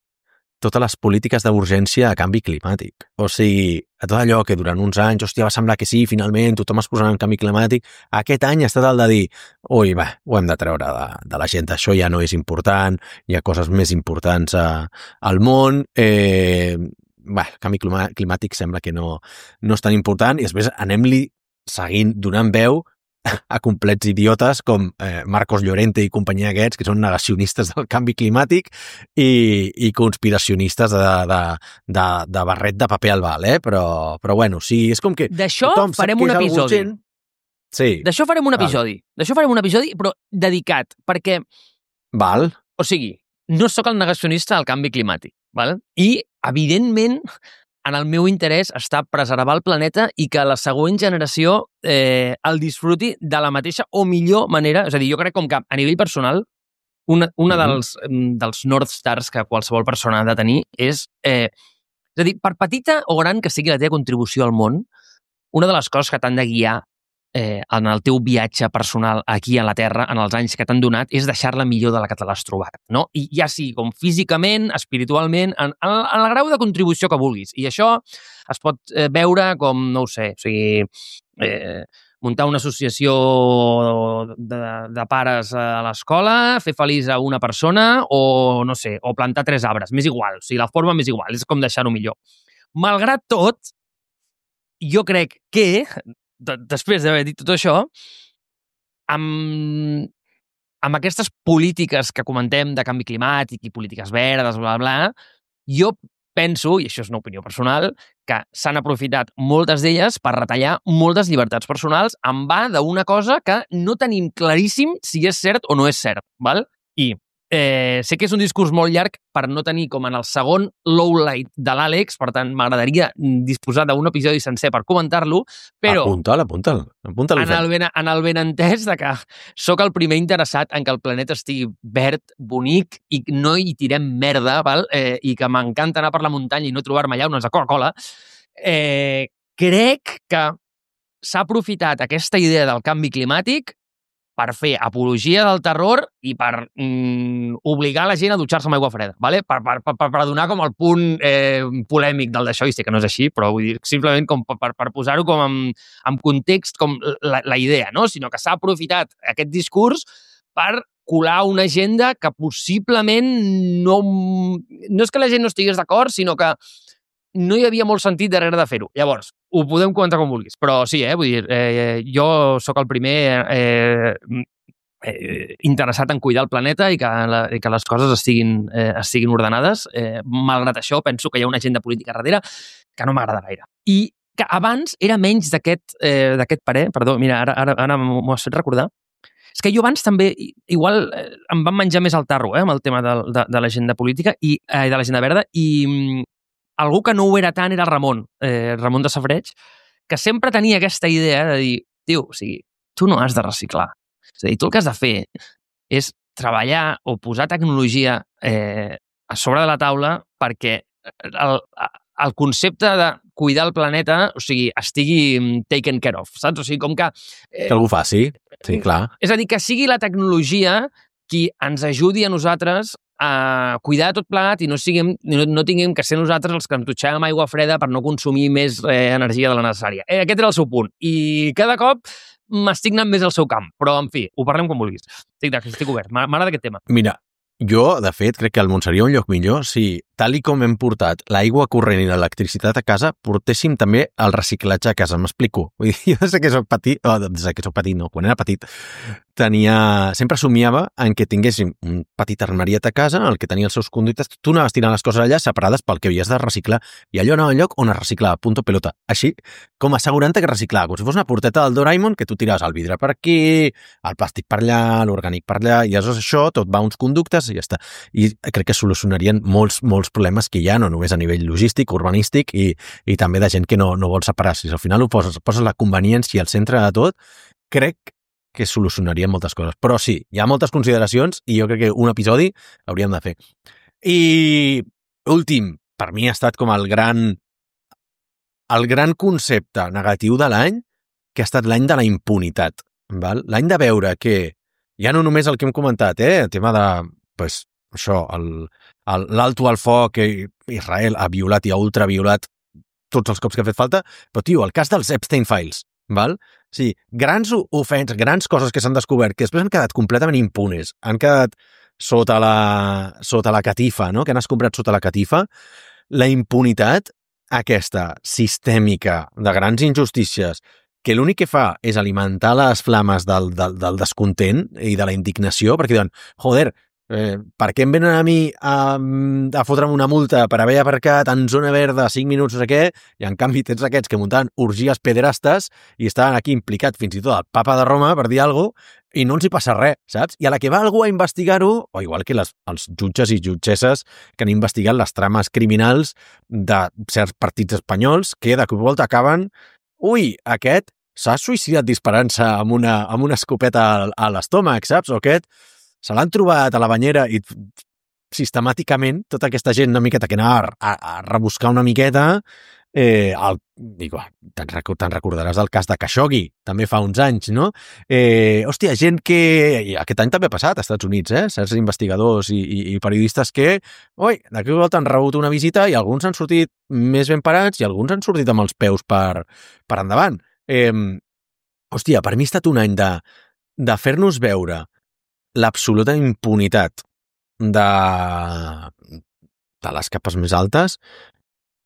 totes les polítiques d'urgència a canvi climàtic. O sigui, a tot allò que durant uns anys, hòstia, va semblar que sí, finalment, tothom es posarà en canvi climàtic, aquest any ha estat el de dir, ui, va, ho hem de treure de, de l'agenda, això ja no és important, hi ha coses més importants a, al món, eh, va, el canvi climàtic sembla que no, no és tan important, i després anem-li seguint donant veu a complets idiotes com eh, Marcos Llorente i companyia aquests, que són negacionistes del canvi climàtic i, i conspiracionistes de, de, de, de barret de paper albal, eh? Però, però bueno, sí, és com que... D'això farem un episodi. Sí. D'això farem un episodi. D'això farem un episodi, però dedicat, perquè... Val. O sigui, no sóc el negacionista del canvi climàtic, val? I, evidentment, en el meu interès està preservar el planeta i que la següent generació eh, el disfruti de la mateixa o millor manera. És a dir, jo crec com que a nivell personal, una, una mm-hmm. dels, dels North Stars que qualsevol persona ha de tenir és, eh, és a dir, per petita o gran que sigui la teva contribució al món, una de les coses que t'han de guiar eh, en el teu viatge personal aquí a la Terra, en els anys que t'han donat, és deixar-la millor de la que te l'has trobat, no? I ja sigui com físicament, espiritualment, en, en, en el grau de contribució que vulguis. I això es pot eh, veure com, no ho sé, o sigui, eh, muntar una associació de, de pares a l'escola, fer feliç a una persona o, no sé, o plantar tres arbres. M'és igual, o sigui, la forma m'és igual, és com deixar-ho millor. Malgrat tot, jo crec que després d'haver dit tot això, amb, amb aquestes polítiques que comentem de canvi climàtic i polítiques verdes, bla, bla, jo penso, i això és una opinió personal, que s'han aprofitat moltes d'elles per retallar moltes llibertats personals en va d'una cosa que no tenim claríssim si és cert o no és cert, val? I Eh, sé que és un discurs molt llarg per no tenir com en el segon lowlight de l'Àlex, per tant m'agradaria disposar d'un episodi sencer per comentar-lo, però apunta'l, apunta'l, apunta'l en, el ben, en el benentès de que sóc el primer interessat en que el planeta estigui verd, bonic i no hi tirem merda, val? Eh, i que m'encanta anar per la muntanya i no trobar-me allà unes de Coca-Cola, eh, crec que s'ha aprofitat aquesta idea del canvi climàtic per fer apologia del terror i per mm, obligar la gent a dutxar-se amb aigua freda, ¿vale? per, per, per, per donar com el punt eh, polèmic del d'això, i sé que no és així, però vull dir, simplement com per, per posar-ho com en, en context, com la, la idea, no? Sinó que s'ha aprofitat aquest discurs per colar una agenda que possiblement no... No és que la gent no estigués d'acord, sinó que no hi havia molt sentit darrere de fer-ho. Llavors, ho podem comentar com vulguis, però sí, eh, vull dir, eh, jo sóc el primer eh, eh, interessat en cuidar el planeta i que, la, i que les coses estiguin, eh, estiguin ordenades. Eh, malgrat això, penso que hi ha una agenda política darrere que no m'agrada gaire. I que abans era menys d'aquest eh, d'aquest parer, perdó, mira, ara, ara, ara m'ho has fet recordar. És que jo abans també, igual, eh, em van menjar més el tarro, eh, amb el tema de, de, de l'agenda política i eh, de l'agenda verda, i algú que no ho era tant era el Ramon, eh, Ramon de Safareig, que sempre tenia aquesta idea de dir, tio, o sigui, tu no has de reciclar. És a dir, tu el que has de fer és treballar o posar tecnologia eh, a sobre de la taula perquè el, el concepte de cuidar el planeta, o sigui, estigui taken care of, saps? O sigui, com que... Eh, que algú faci, sí, clar. És a dir, que sigui la tecnologia qui ens ajudi a nosaltres a cuidar tot plegat i no, siguem, no, no tinguem que ser nosaltres els que ens dutxem amb aigua freda per no consumir més eh, energia de la necessària. Eh, aquest era el seu punt. I cada cop m'estic anant més al seu camp. Però, en fi, ho parlem com vulguis. Estic, estic obert. M'agrada aquest tema. Mira, jo, de fet, crec que el món seria un lloc millor si, tal i com hem portat l'aigua corrent i l'electricitat a casa, portéssim també el reciclatge a casa. M'explico. Vull dir, jo des que soc petit, oh, des que soc petit, no, quan era petit, tenia... Sempre somiava en què tinguéssim un petit armariet a casa en el que tenia els seus conductes. Tu anaves tirant les coses allà separades pel que havies de reciclar i allò anava al lloc on es reciclava, punto pelota. Així, com assegurant-te que reciclava, com si fos una porteta del Doraemon que tu tiraves el vidre per aquí, el plàstic per allà, l'orgànic per allà, i aleshores això tot va a uns conductes i ja està. I crec que solucionarien molts, molts problemes que hi ha, no només a nivell logístic, urbanístic i, i també de gent que no, no vol separar. Si al final ho poses, poses la conveniència al centre de tot, crec que solucionaria moltes coses. Però sí, hi ha moltes consideracions i jo crec que un episodi hauríem de fer. I últim, per mi ha estat com el gran el gran concepte negatiu de l'any, que ha estat l'any de la impunitat. Val? L'any de veure que ja no només el que hem comentat, eh, el tema de, pues, això, l'alto al foc que Israel ha violat i ha ultraviolat tots els cops que ha fet falta, però, tio, el cas dels Epstein Files, val? Sí, grans ofenses, grans coses que s'han descobert, que després han quedat completament impunes, han quedat sota la, sota la catifa, no? Que han escombrat sota la catifa. La impunitat aquesta sistèmica de grans injustícies que l'únic que fa és alimentar les flames del, del, del descontent i de la indignació, perquè diuen, joder, Eh, per què em venen a mi a, a fotre'm una multa per haver aparcat en zona verda cinc minuts no sé què, i en canvi tens aquests que muntaven orgies pederastes i estaven aquí implicat fins i tot el papa de Roma, per dir alguna cosa, i no els hi passa res, saps? I a la que va algú a investigar-ho, o igual que les, els jutges i jutgesses que han investigat les trames criminals de certs partits espanyols que de cop i volta acaben, ui, aquest s'ha suïcidat disparant-se amb una, amb una escopeta a, a l'estómac, saps? O aquest se l'han trobat a la banyera i sistemàticament tota aquesta gent una miqueta que anava a, a rebuscar una miqueta, eh, el, digo, te'n recordaràs del cas de Khashoggi, també fa uns anys, no? Eh, hòstia, gent que... Aquest any també ha passat als Estats Units, eh? Certs investigadors i, i, i periodistes que, oi, d'aquí volta han rebut una visita i alguns han sortit més ben parats i alguns han sortit amb els peus per, per endavant. Eh, hòstia, per mi ha estat un any de, de fer-nos veure l'absoluta impunitat de, de les capes més altes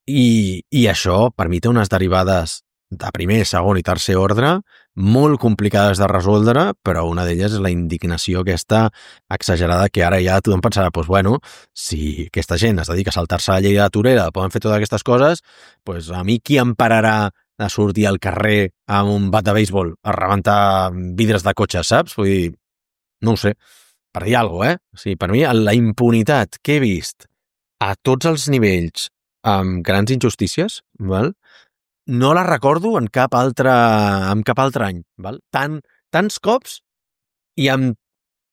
i, i això per mi té unes derivades de primer, segon i tercer ordre molt complicades de resoldre, però una d'elles és la indignació aquesta exagerada que ara ja tothom pensarà, doncs bueno, si aquesta gent es dedica a saltar-se la llei de Torera, poden fer totes aquestes coses, doncs a mi qui em pararà de sortir al carrer amb un bat de béisbol a rebentar vidres de cotxe, saps? Vull dir, no ho sé, per dir alguna cosa, eh? O sigui, per mi, la impunitat que he vist a tots els nivells amb grans injustícies, val? No la recordo en cap altre, en cap altre any. Val? Tant, tants cops i amb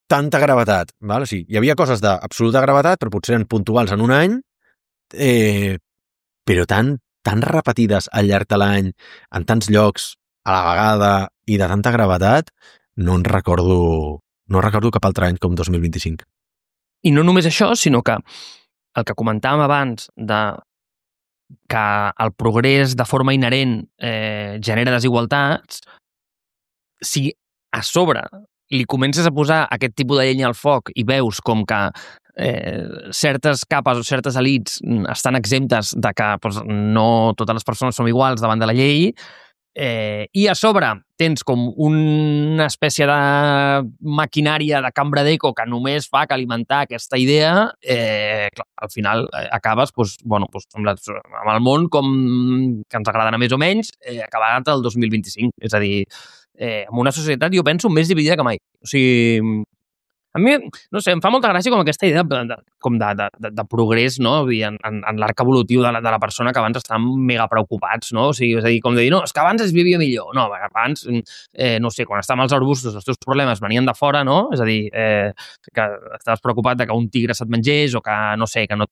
tanta gravetat. Val? O sigui, hi havia coses d'absoluta gravetat, però potser eren puntuals en un any, eh, però tan, tan repetides al llarg de l'any, en tants llocs, a la vegada i de tanta gravetat, no en recordo, no recordo cap altre any com dos mil vint-i-cinc. I no només això, sinó que el que comentàvem abans de que el progrés de forma inherent eh, genera desigualtats, si a sobre li comences a posar aquest tipus de llenya al foc i veus com que eh, certes capes o certes elits estan exemptes de que doncs, no totes les persones som iguals davant de la llei, eh, i a sobre tens com una espècie de maquinària de cambra d'eco que només fa que alimentar aquesta idea, eh, clar, al final eh, acabes doncs, bueno, doncs, amb, la, amb el món com que ens agradarà més o menys, eh, acabat el dos mil vint-i-cinc. És a dir, eh, en una societat, jo penso, més dividida que mai. O sigui, a mi, no sé, em fa molta gràcia com aquesta idea de, de, com de, de, de progrés, no? Vull dir, en, en, en l'arc evolutiu de la, de la persona que abans estaven mega preocupats, no? O sigui, és a dir, com de dir, no, és que abans es vivia millor. No, abans, eh, no sé, quan estàvem als arbustos, els teus problemes venien de fora, no? És a dir, eh, que estaves preocupat de que un tigre se't mengés o que, no sé, que no,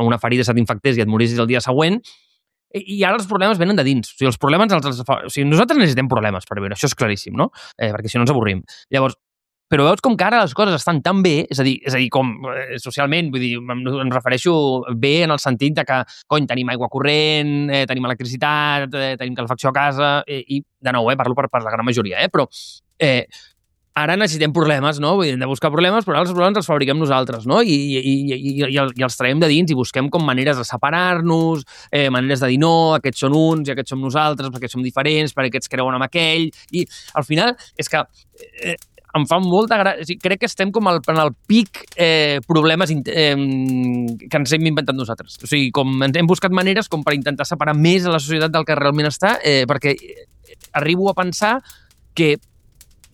una ferida se t'infectés i et morissis el dia següent. I ara els problemes venen de dins. O sigui, els problemes... Els, els, o sigui, nosaltres necessitem problemes per viure, això és claríssim, no? Eh, perquè si no ens avorrim. Llavors, però veus com que ara les coses estan tan bé, és a dir, és a dir com eh, socialment, vull dir, em, em refereixo bé en el sentit de que, cony, tenim aigua corrent, eh, tenim electricitat, eh, tenim calefacció a casa, eh, i, de nou, eh, parlo per, per la gran majoria, eh, però eh, ara necessitem problemes, no? Vull dir, hem de buscar problemes, però els problemes els fabriquem nosaltres, no? I, i, i, i, i, i els traiem de dins i busquem com maneres de separar-nos, eh, maneres de dir no, aquests són uns i aquests som nosaltres, perquè som diferents, perquè aquests creuen amb aquell, i al final és que... Eh, em fa molta gràcia. Crec que estem com al, en el pic eh, problemes eh, que ens hem inventat nosaltres. O sigui, com ens hem buscat maneres com per intentar separar més a la societat del que realment està, eh, perquè arribo a pensar que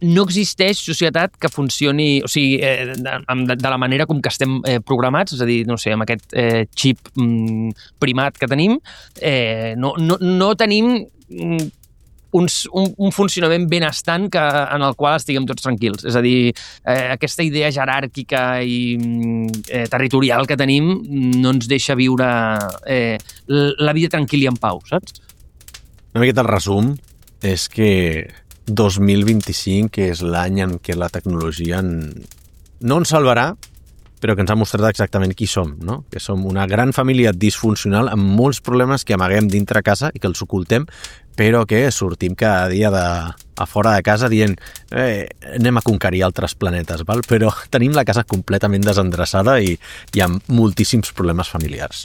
no existeix societat que funcioni, o sigui, eh, de, de la manera com que estem eh, programats, és a dir, no sé, amb aquest eh, xip mm, primat que tenim, eh, no, no, no tenim... Mm, Un, un, un funcionament benestant que, en el qual estiguem tots tranquils. És a dir, eh, aquesta idea jeràrquica i eh, territorial que tenim no ens deixa viure eh, la vida tranquil·la i en pau, saps? Una miqueta el resum és que dos mil vint-i-cinc és l'any en què la tecnologia en... no ens salvarà, però que ens ha mostrat exactament qui som, no? Que som una gran família disfuncional amb molts problemes que amaguem dintre casa i que els ocultem, però que sortim cada dia de, a fora de casa dient eh, anem a conquerir altres planetes, val? Però tenim la casa completament desendreçada i, i amb moltíssims problemes familiars.